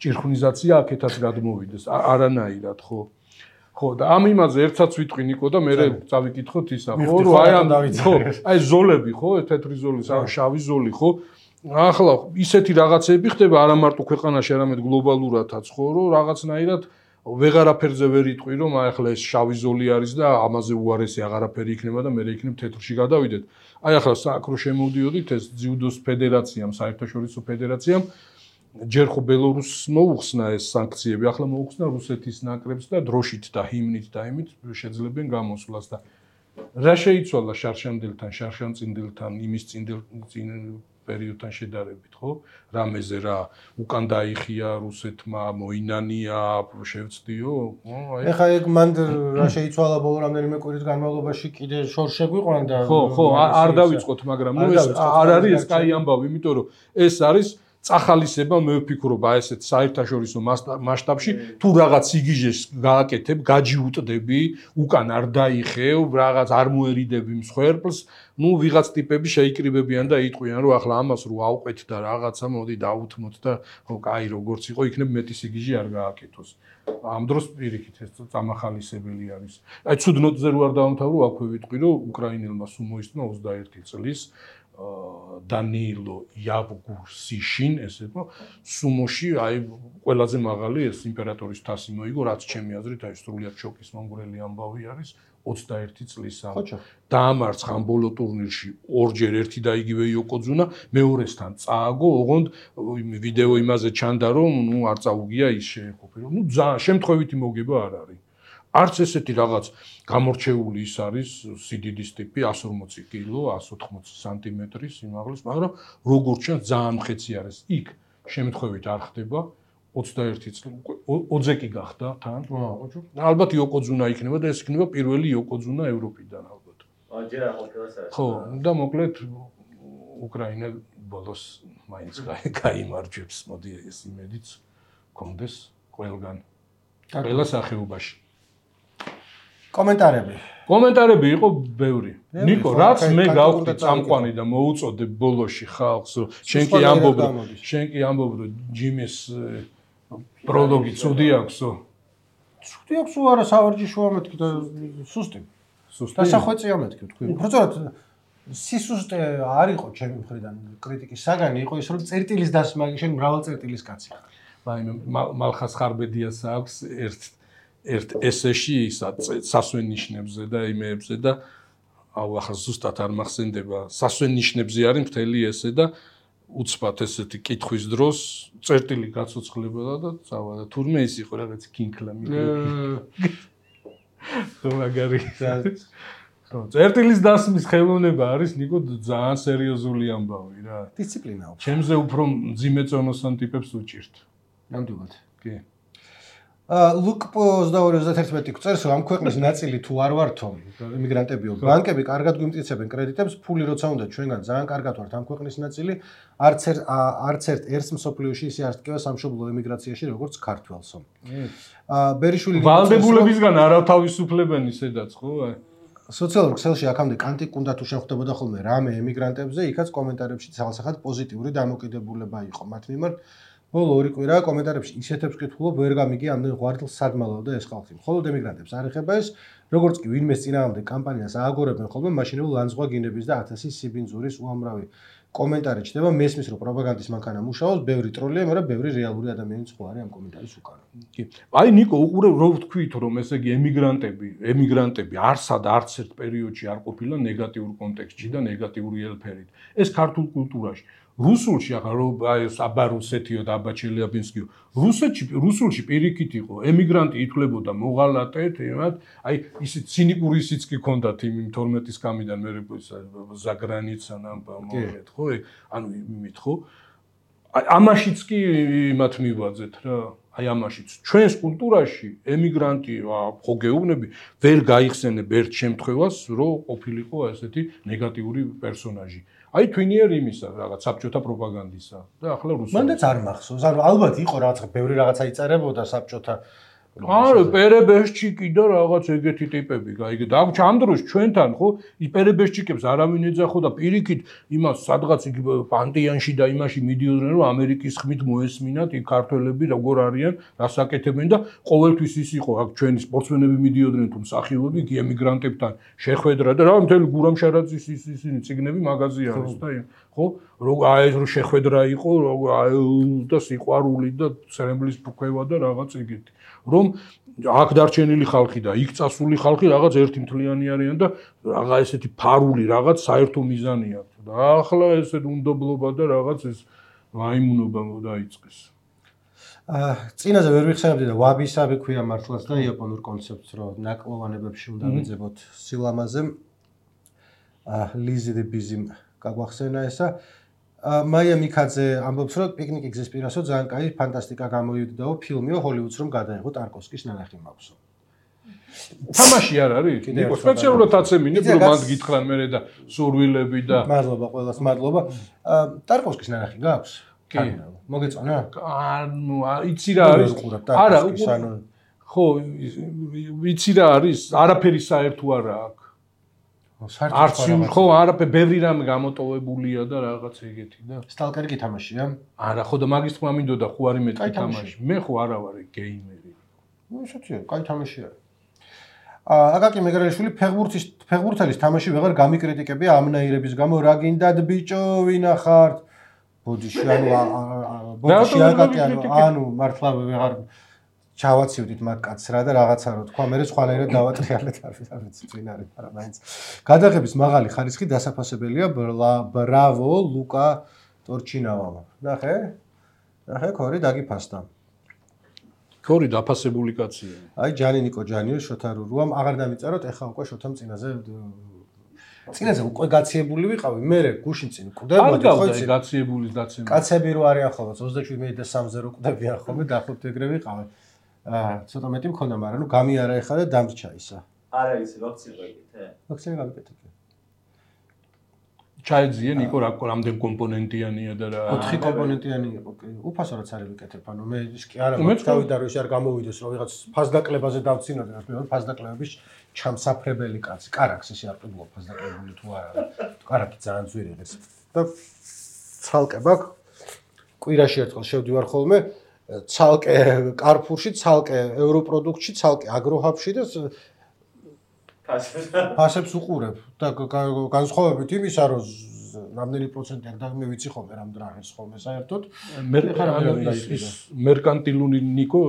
ჭირხვნიზაცია აქეთაც გადმოვიდეს არანაირად ხო ხო და ამ იმაზე ერთსაც ვიტყვი ნიკო და მე წავიკითხოთ ისა ხო რომ აი ამ ხო აი ზოლები ხო თეთრი ზოლის შავი ზოლი ხო ახლა ისეთი რაღაცები ხდება არა მარტო ქვეყანაში არამედ გლობალურადაც ხო რომ რაღაცნაირად ვეღარაფერზე ვერ იტყვი რომ აი ახლა ეს შავი ზოლი არის და ამაზე უარესი აღარაფერი იქნება და მე იქნებ თეთრში გადავიდეთ აი ახლა საკრო შემოვდიოდით ეს ძიუდოს ფედერაციამ საერთაშორისო ფედერაციამ ჯერ ხო ბელორუსს მოუხსნა ეს სანქციები, ახლა მოუხსნა რუსეთის ნაკრებს და დროშით და ჰიმნით და იმით შეძლებენ გამოსვლას და რა შეიცვალა შარშანდელთან, შარშანწინდელთან, იმის წინ პერიოდთან შედარებით, ხო? რამეზე რა უკან დაიხია რუსეთმა, მოინანია, შევწდიო, აი ეხა ეგ მან რა შეიცვალა ბოლო რამდენიმე კვირის განმავლობაში კიდე შორშები ყვან და ხო, არ დავიწყოთ, მაგრამ ნუ ეს არ არის ეს კაი ამბავი, იმიტომ რომ ეს არის წახალისება მე ვფიქრობ აი ესეთ საერთაშორისო მასშტაბში თუ რაღაც იგიჟეს გააკეთებ, გაჯიუტდები, უკან არ დაიხევ, რაღაც არ მოერიდები მსხვერპლს, ნუ ვიღაც ტიპები შეიკრიბებიან და იტყვიან რომ ახლა ამას რო ავყვეთ და რაღაცა მოდი დავუთმოთ და ხო კაი როგორც იყო იქნებ მეტი სიგიჟე არ გააკეთოს. ამ დროს პირიქით ეს წამახალისებელი არის. აი ცუდნოტზე რო არ დავამთავრო, აქვე ვიტყვი რომ უკრაინელმა სუმოისტმა 21 წლის დანიილო იავგურსიშინ ესე რომ სუმოში აი ყველაზე მაღალი ეს იმპერატორის თასი მოიგო რაც ჩემი აზრით აი სრულიად შოკის მომგვრელი ამბავი არის 21 წლის დაამარცხა ამ ბოლო ტურნირში ორჯერ ერთი და იგივე იოკოძუნა მეორესთან წააგო ოღონდ ვიდეო იმაზე ჩანდა რომ ნუ არ წაუგია ის შეეყოფირო ნუ შემთხვევითი მოგება არ არის არც ესეთი რაღაც გამორჩეული ის არის სიდიდის ტიპი 140 კილო 180 სანტიმეტრი სიმაღლის მაგრამ როგორც ჩანს ძალიან მხეცი არის იქ შემთხვევით არ ხდება 21 წელი ოძეკი გახდა თან ალბათ იოკოძუნა იქნება და ეს იქნება პირველი იოკოძუნა ევროპიდან ალბათ ჯერ არ ყოფილა საერთოდ ხო და მოკლედ უკრაინა ბოლოს მაინც გაიმარჯვებს მოდი ეს იმედიც კონდეს ყველგან ყველა სახეობაში კომენტარები იყო ბევრი. ნიკო, რაც მე გავხდი წამყვანი და მოუწოდე ბოლოში ხალხს, შენ კი ამბობ რომ ჯიმის პროლოგი ცუდი აქვსო. ცუდი აქვს არა სავარჯიშოა მეთქი და სუსტი. დასახვეწია მეთქი თქვი. უბრალოდ სისუსტე არ იყო ჩემი მხრიდან კრიტიკის საგანი იყო ის რომ წერტილის დასმა შენ მრავალ წერტილის კაცი. აი მალხას ხარბედიას აქვს ერთ ესეში სასვენ ნიშნებზე და იმეებზე და აუ ახლა ზუსტად არ მახსენდება სასვენ ნიშნებზე არის მთელი ესე და უცბად ესეთი კითხვის დროს წერტილი გაცოცხლებოდა და წავა და თურმე ის იყო რაღაც კინქლა ხო მაგარი ხო წერტილის დასმის ხელოვნება არის ნიკო ძალიან სერიოზული ამბავი რა დისციპლინა აქვს ჩემზე უფრო მძიმე წონოსან ტიპებს უჭირთ ნამდვილად კი ლუკ 22-31 წერს, რომ ამ ქვეყნის ნაწილი თუ არ ვართო, იმიგრანტებიო, ბანკები კარგად გვიმტკიცებენ კრედიტებს, ფული როცა უნდა ჩვენგან ძალიან კარგად ვართ ამ ქვეყნის ნაწილი, არც ერთ მსოფლიოში ისე არ დგება სამშობლო ემიგრაციაში, როგორც ქართველსო. ბერიშვილი ვალდებულებისგან არავთავისუფლებენი სადაც, ხო? სოციალურ ქსელში აქამდე კანტიკ უნდა თუ შეხვდებოდა ხოლმე რამე ემიგრანტებზე, იქაც კომენტარებში ძალსახად პოზიტიური დამოკიდებულება იყო მათ მიმართ. ბოლო 2 კვირა კომენტარებში ისეთებს კითხულობ, ვერ გამიგი ამდენ ღვარდლს სად მალავდა ეს ხალხი. მხოლოდ ემიგრანტებს არ ეხება ეს, როგორც კი ვინმეს წინააღმდეგ კამპანიას ააგორებენ ხოლმე, მაშინვე ლანძღვა გინების და 1000 სიბინძურის უამრავი კომენტარი ჩნდება, მესმის რომ პროპაგანდის მანქანა მუშაობს, ბევრი ტროლია, მაგრამ ბევრი რეალური ადამიანიც ხო არის ამ კომენტარის უკან. კი. აი ნიკო, უყურებ რო ვთქვით, რომ ესე იგი ემიგრანტები არსად არც ერთ პერიოდში არ ყოფილა ნეგატიურ კონტექსტში და ნეგატიური ელფერით. ეს ქართულ კულტურაში რუსულში ახლა რო აი აბა რუსეთიო და აბა ჩელიაბინსკიო რუსულში პირიქით იყო ემიგრანტი ითვლებოდა მოღალატედ იმათ აი ისე ცინიკური ისიც კი ქონდათ იმ 12-ის კამიდან მე ზაგრანიცა ნამბამოეთ ხო ანუ იმით ხო აი ამაშიც კი იმათ მივაძეთ რა აი ამაშიც ჩვენს კულტურაში ემიგრანტი ხო გეუბნები ვერ გაიხსენებ ერთ შემთხვევას რომ ყოფილიყო ესეთი ნეგატიური პერსონაჟი აი თვინიერ იმისა რაღაც საბჭოთა პროპაგანდისა და ახლა რუსულში. მანდაც არ მახსოვს. ანუ ალბათ იყო რაღაცა ბევრი რაღაცა იწერებოდა საბჭოთა არა, პერებეშჩიკი და რაღაც ეგეთი ტიპები გაიგე. და ამ დროს ჩვენთან ხო პერებეშჩიკებს არავინ ეძახო და პირიქით იმას სადღაც იგი პანტიანში და იმაში მიდიოდნენ რომ ამერიკის ხმით მოესმინათ იქ ქართველები როგორ არიან, რას აკეთებენ და ყოველთვის ის იყო აქ ჩვენი სპორტსმენები მიდიოდნენ თუ მსახიობები კი ემიგრანტებთან შეხვედრა და რა მთელი გურამშარაძის ისინი ციგნები მაგაზია არის და ხო აი რომ შეხვედრა იყო და სიყვარული და ცრემლის ფუქევა და რაღაც ეგეთი რომ აქ დარჩენილი ხალხი და იქ წასული ხალხი რაღაც ერთი მთლიანი არიან და რაღა ესეთი ფარული რაღაც საერთო მიზანი აქვს და ახლა ესეთ უნდობლობა და რაღაც ეს ვაიმუნობა დაიწყეს. წინაზე ვერ ვიხსენებდი და ვაბისაბი ქვია მართლაც და იაპონურ კონცეფტს რომ ნაკლოვანებებში უნდა ვეძებოთ სილამაზე. ლიზი ბიზიმ გაგვახსენა ესა. მაია მიქაძე ამბობს რომ პიკნიკი გზის პირასო ძალიან კაი ფანტასტიკა გამოიუდაო ფილმიო ჰოლივუდს რომ გადაიღო ტარკოვსკის ნანახი მაქვს. თამაში არ არის? ნიკო სპეციალურად აცემინებ რომ მანდ გითხრან მე და სურვილები და მადლობა ყველას მადლობა. ტარკოვსკის ნანახი გაქვს? კი. მოგეწონა? ანუ იცი რა არის? არა, ხო, იცი რა არის? არაფერი საერთო არა აქვს. არც ხო არაფერი ბევრი რამე გამოტოვებულია და რაღაც ეგეთი და სტალკერი კი თამაშია? არა ხო და მაგის თქმა მინდოდა ხო არის მეტი თამაში. მე ხო არა ვარ გეიმერი. ნუ ისეთია, კაი თამაშია. აკაკი მეგრელიშვილი ფეხბურთელის თამაში ვეღარ გამიკრიტიკებია ამნაირების გამო რა გინდათ ბიჭო ვინახართ? ბოდიში ანუ მართლა ვეღარ ჩავაცივდით მაგ კაცს რა და რაღაცა რო თქვა მე სხვანაირად დავატრიალეთ არ ვიცი წინ არის მაგრამ მაინც გადაღების მაღალი ხარისხი დასაფასებელია ბრავო ლუკა ტორჩინავამა ნახე ქორი დაგიფასდა ქორი დაფასებული კაცია აი ჯანი ნიკო ჯანიო შოთა რურუამ აღარ დამიწეროთ ეხა უკვე შოთამ წინაზე უკვე გაციებული ვიყავი მე გუშინ წინ კვდებოდი ხო იცი გაციებულის დაცემა კაცები რო არიან ხოლმე 27 და 3-ზე რო კვდებიან ხოლმე დაახლოებით ეგრე ვიყავი ცოტა მეტი მქონდა, მაგრამ ნუ გამიარა ეხლა და დამრჩა ისა. არა იცი, ვაქცინა გაიგეთე? ვაქცინა გავიკეთე. ჩაიძიე ნიკო რამდენ კომპონენტიანია და რა 4 კომპონენტიანი იყო, კი. უფასო რაც არის ვიკეთებ, ანუ მე ის კი არა, გავიდა რომ ის არ გამოვიდეს, რომ ვიღაც ფასდაკლებაზე დავცინოდე, რა ფასდაკლების ჩამსაფრებელი კაცი. კარაქს ისე არ ყიდულობ ფასდაკლებული თუ არა. კარაკი ძალიან ძვირი ეს. და ცალკე ბაქ კვირაში ერთხელ შევდივარ ხოლმე ცალკე კარფურში, ცალკე ევროპროდუქტში, ცალკე აგროჰაბში და ფასებს უყურებ და განსხვავებით იმისა, რომ რამდენი პროცენტი არ დამივიცი ხოლმე რამ დრაღეს ხოლმე საერთოდ. მერკანტილური ნიკო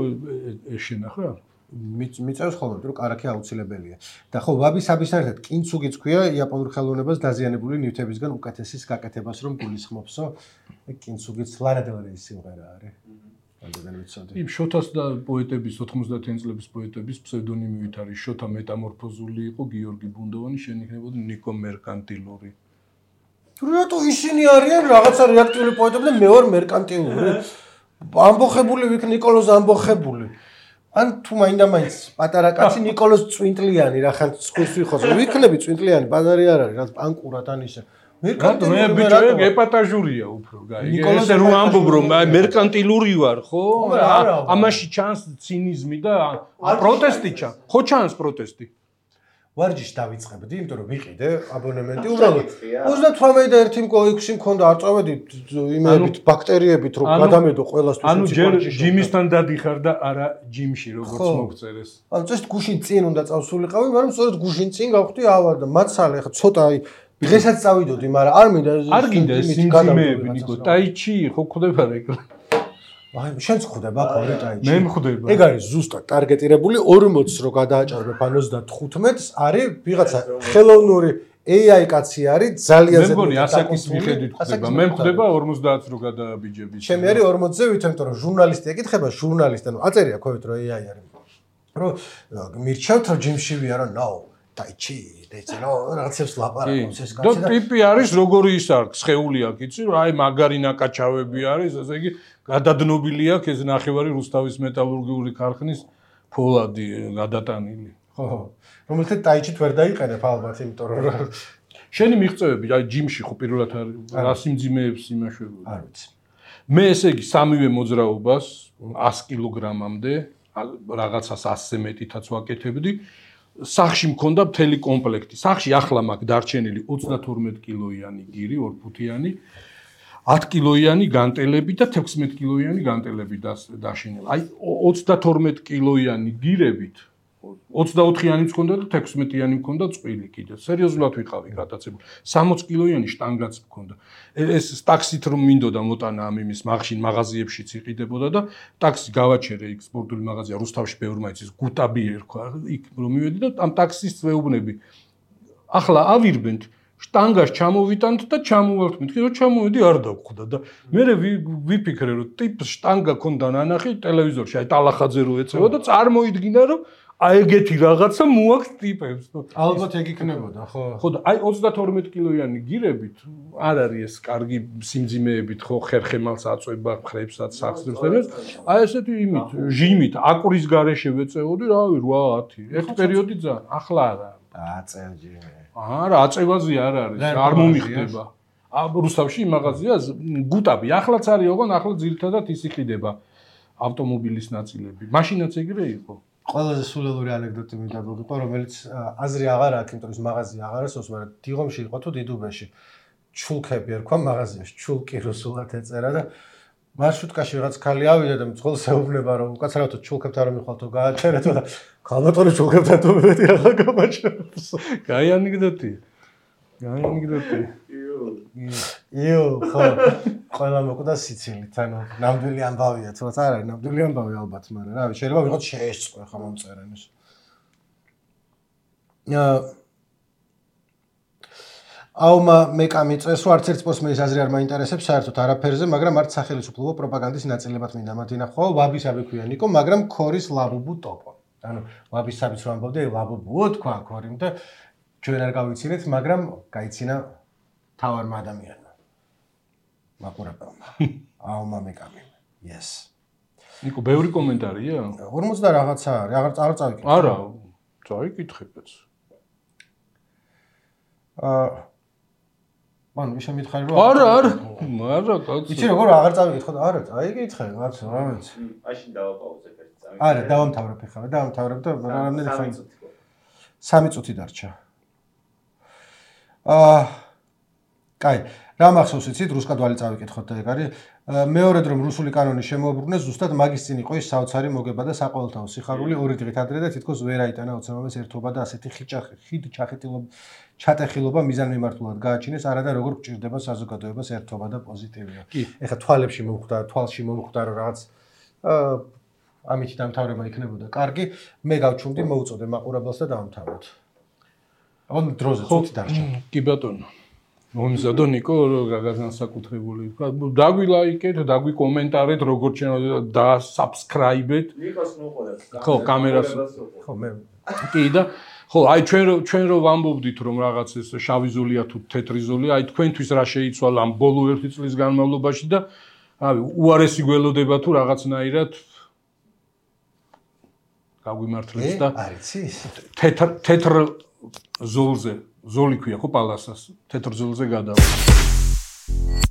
ეშენა ხა? მიწევს ხოლმე, რომ კარაქი აუცილებელია. და ხო, ვაბისაბის ერთად კინცუგიც ქვია იაპონურ ხელოვნებას დაზიანებული ნივთებისგან უკეთესის გაკეთებას რომ გულისხმობსო. კინცუგიც ლანადელარის სიმღერა არის. იმ შოთას და პოეტების 90-იან წლების პოეტების ფსევდონიმივით არის შოთა მეტამორფოზული იყო გიორგი ბუნდოვანი შენიშნებოდა ნიკო მერკანტილური. რატო ისინი არიან რაღაცა რეაქტიული პოეტები და მე ვარ მერკანტილური. ამბოხებული ვიქ ნიკოლოზ ამბოხებული. ან თუ მაინდა-მაინც პატარა კაცი ნიკოლოზ წვინტლიანი რახან სხვის ვიხოს ვიქნები წვინტლიანი ბაზარი არ არის რაც პანკურად ან ისე მე ბიჭო ეპატაჟურია უფრო გაიგე ესე რომ ამბობ რომ მერკანტილური ვარ ხო ამაში ჩანს ცინიზმი და პროტესტი ჩანს ხო ჩანს პროტესტი ვარჯიში დავიწყებდი იმიტომ რომ ვიყიდე აბონემენტი უბრალოდ 38 6 მქონდა არ წავედი იმებით ბაქტერიებით რომ გადამედო ყველასთვის ანუ ჯერ ჯიმისთან დადიხარ და არა ჯიმში როგორც მოგწერეს ანუ წეს გუშინ წინ უნდა წავსულიყავი მაგრამ სწორედ გუშინ წინ გავხდი ავარ და მაცალე ხა ცოტა აი დღესაც წავიდოდი მაგრამ არ მინდა არ გინდა სიმძიმეები ნიკო ტაიჩი ხო ხდება რეკლა აი შენც ხდება ხოლმე ტაიჩი მე მხვდება ეგ არის ზუსტად ტარგეტირებული 40-ს რო გადააჭარბებ ან 35-ს არის ვიღაცა ხელოვნური AI კაცი არის ძალიან მე მგონი ასაკის მიხედვით ხდება მე მხვდება 50-ს რო გადააბიჯები ჩემი არის 40-ზე ვით იმიტომ რომ ჟურნალისტი ეკითხება ჟურნალისტი ანუ აწერია ქვევით რომ AI არის რომ მირჩევთ რომ ჯიმში ვიარო ნო ტაიჩი დეცნო რაღაცებს ლაპარაკობს ეს კაცი და ტიპი არის როგორი ის არის სხეული აქვს იცი რომ აი მაგარი ნაკაჩავები არის ესე იგი გადადნობილი აქვს ეს ნახევარი რუსთავის მეტალურგიული ქარხნის ფოლადი გადატანილი ხო რომელთაც ტაიჩით ვერ დაიყენებ ალბათ იმიტომ რომ შენი მიღწევები აი ჯიმში ხო პირველად რა სიმძიმეებს იმაშვებოდი არ ვიცი მე ესე იგი სამივე მოძრაობას 100 კილოგრამამდე რაღაცას 100-ზე მეტითაც ვაკეთებდი სახში მქონდა მთელი კომპლექტი. სახში ახლა მაქვს დარჩენილი 32 კილოიანი გირი, 2 ფუთიანი, 10 კილოიანი განტელები და 16 კილოიანი განტელები დაშენილი. აი 32 კილოიანი გირებით 24-იანი მქონდა და 16-იანი მქონდა წყვილი კიდე. სერიოზულად ვიყავი გადაცემული. 60 კილოიანი შტანგაც მქონდა. ეს ტაქსით რომ მინდოდა მოტანა ამ იმის მაღშინ მაღაზიებშიც იყიდებოდა და ტაქსი გავაჩერე იქ სპორტული მაღაზია რუსთავში ბევრი მაინც გუტაბი ერქვა იქ რომ მივედი და ამ ტაქსის წვეუბნები ახლა ავირბენთ შტანგას ჩამოვიტანთ და ჩამოვალთ მეთქი რომ ჩამოვედი არ დაგხვდა და მე ვიფიქრე რომ ტიპს შტანგა ქონდა ნანახი ტელევიზორში აი ტალახაძე რო ეწევა და წარმოიდგინა რომ აი ეგეთი რაღაცა მოაქვს ტიპებს. ალბათ ეგ იქნებოდა, ხო? ხო და აი 32 კილოიანი გირებით არ არის ეს კარგი სიმძიმეებით, ხო, ხერხემალს აწვება, ხრებსაც, სახსრებს. აი ესეთი იმით, ჟიმით, აკურის გარეშე ვეწეოდი, რავი, 8-10. ერთ პერიოდი ძალიან, ახლა არა. აწევ ჟიმი. არა, აწევაზე არ არის, არ მომიხდება. რუსთავში მაღაზია გუტაბი, ახლაც არის, ოღონ ახლა ძირითადად ის იყიდება ავტომობილის ნაწილები. მაშინაც ეგრე იყო. ყველაზე სულელური ანეკდოტი მინდა მოგიყვა, რომელიც აზრი აღარ აქვს, იმიტომ რომ მაღაზია აღარ არსოს, მაგრამ დიღომში იყო თუ დიდუბეში. ჩულკები ერქვა მაღაზიაში, ჩულკი რუსულად ეწერა და მარშრუტკაში რაღაც ქალი ავიდა და მძღოლს ეუბნება რომ უკაცრავად ჩულკებთან რომ მიხვალთო გააჩერეთო და ქალბატონო ჩულკებთან თუ მეტი ახლა გამაჩერებს. კაი ანეკდოტი. კაი ანეკდოტი. იო, ხო. ყველა მოკვდა სიცილით, ანუ ნამდვილი ამბავია, თუმცა არ არის ნამდვილი ამბავი ალბათ, მაგრამ რავი, შეიძლება ვიღოთ შეესწყვე ხა მომწერენს. აუმა მეკამი წეს რომ არც ერთ პოსტმეის აზრი არ მაინტერესებს საერთოდ არაფერზე, მაგრამ არც სახელმწიფო პროპაგანდის ნაწილებად მინდა მათინახო, ვაბისაბი ქვია ნიკო, მაგრამ ქორის ლაბუბუ ტოპო. ანუ ვაბისაბიც რომ ამბობდი, ლაბუბუო თქვა ქორიმ და ჩვენ არ გავიცინეთ, მაგრამ გაიცინა თავარმა ადამიანმა. მაყურებელმა. აუმა მეკამი. Yes. ნიკო, ბევრი კომენტარია? 50 და რაღაცა არის, აღარ წავიკითხე. არა, წავიკითხებაც. მან შემითხარი რომ არა, კაცო. იცი როგორ აღარ წავიკითხო და არა, წაიკითხე, კაცო, რა ვიცი. მაშინ დავაპაუზებ ერთ წამი. არა, დავამთავრებ ხა, დავამთავრებ და რამდენი ხანი? 3 წუთი დარჩა. კაი, რა მახსოვს იცით, რუსკადვალი წავიკითხოთ და ეგ არის. მეორედ რომ რუსული კანონი შემოუბრუნეს, ზუსტად მაგის წინ იყო ის საოცარი მოგება და საყოველთაო სიხარული ორი დღით ადრე და თითქოს ვერ აიტანა ოცნებამეს ერთობა და ასეთი ჩატეხილობა მიზანმიმართულად გააჩინეს, არა და როგორ გჭირდება საზოგადოებას ერთობა და პოზიტივია. ეხლა თვალებში მომხვდა, თვალში მომხვდა რომ რაღაც ამით დამთავრება იქნებოდა კარგი, მე გავჩუმდი, მოუწოდე მაყურებელს და დავამთავროთ. ონ დროზე წუთი დარჩა. კი ბატონო. მომზადო ნიკო განსაკუთრებული. დაგვილაიკეთ, დაგვიკომენტარეთ, როგორც შეიძლება და subscribe-ეთ. ნიკოს მოყოლებს. ხო, კამერას. ხო, მე. კი და ხო, აი ჩვენ რო ვამბობდით რომ რაღაც ეს შავი ზოლია თუ თეთრი ზოლია, აი თქვენთვის რა შეიცვალა ამ ბოლო 1 წლის განმავლობაში და რავი, უარესი გველოდება თუ რაღაცნაირად გაგვიმართლებს და არიცის? თეთრ ზოლზე, ზოლი ქვია ხო პალასას, თეთრ ზოლზე გადავა.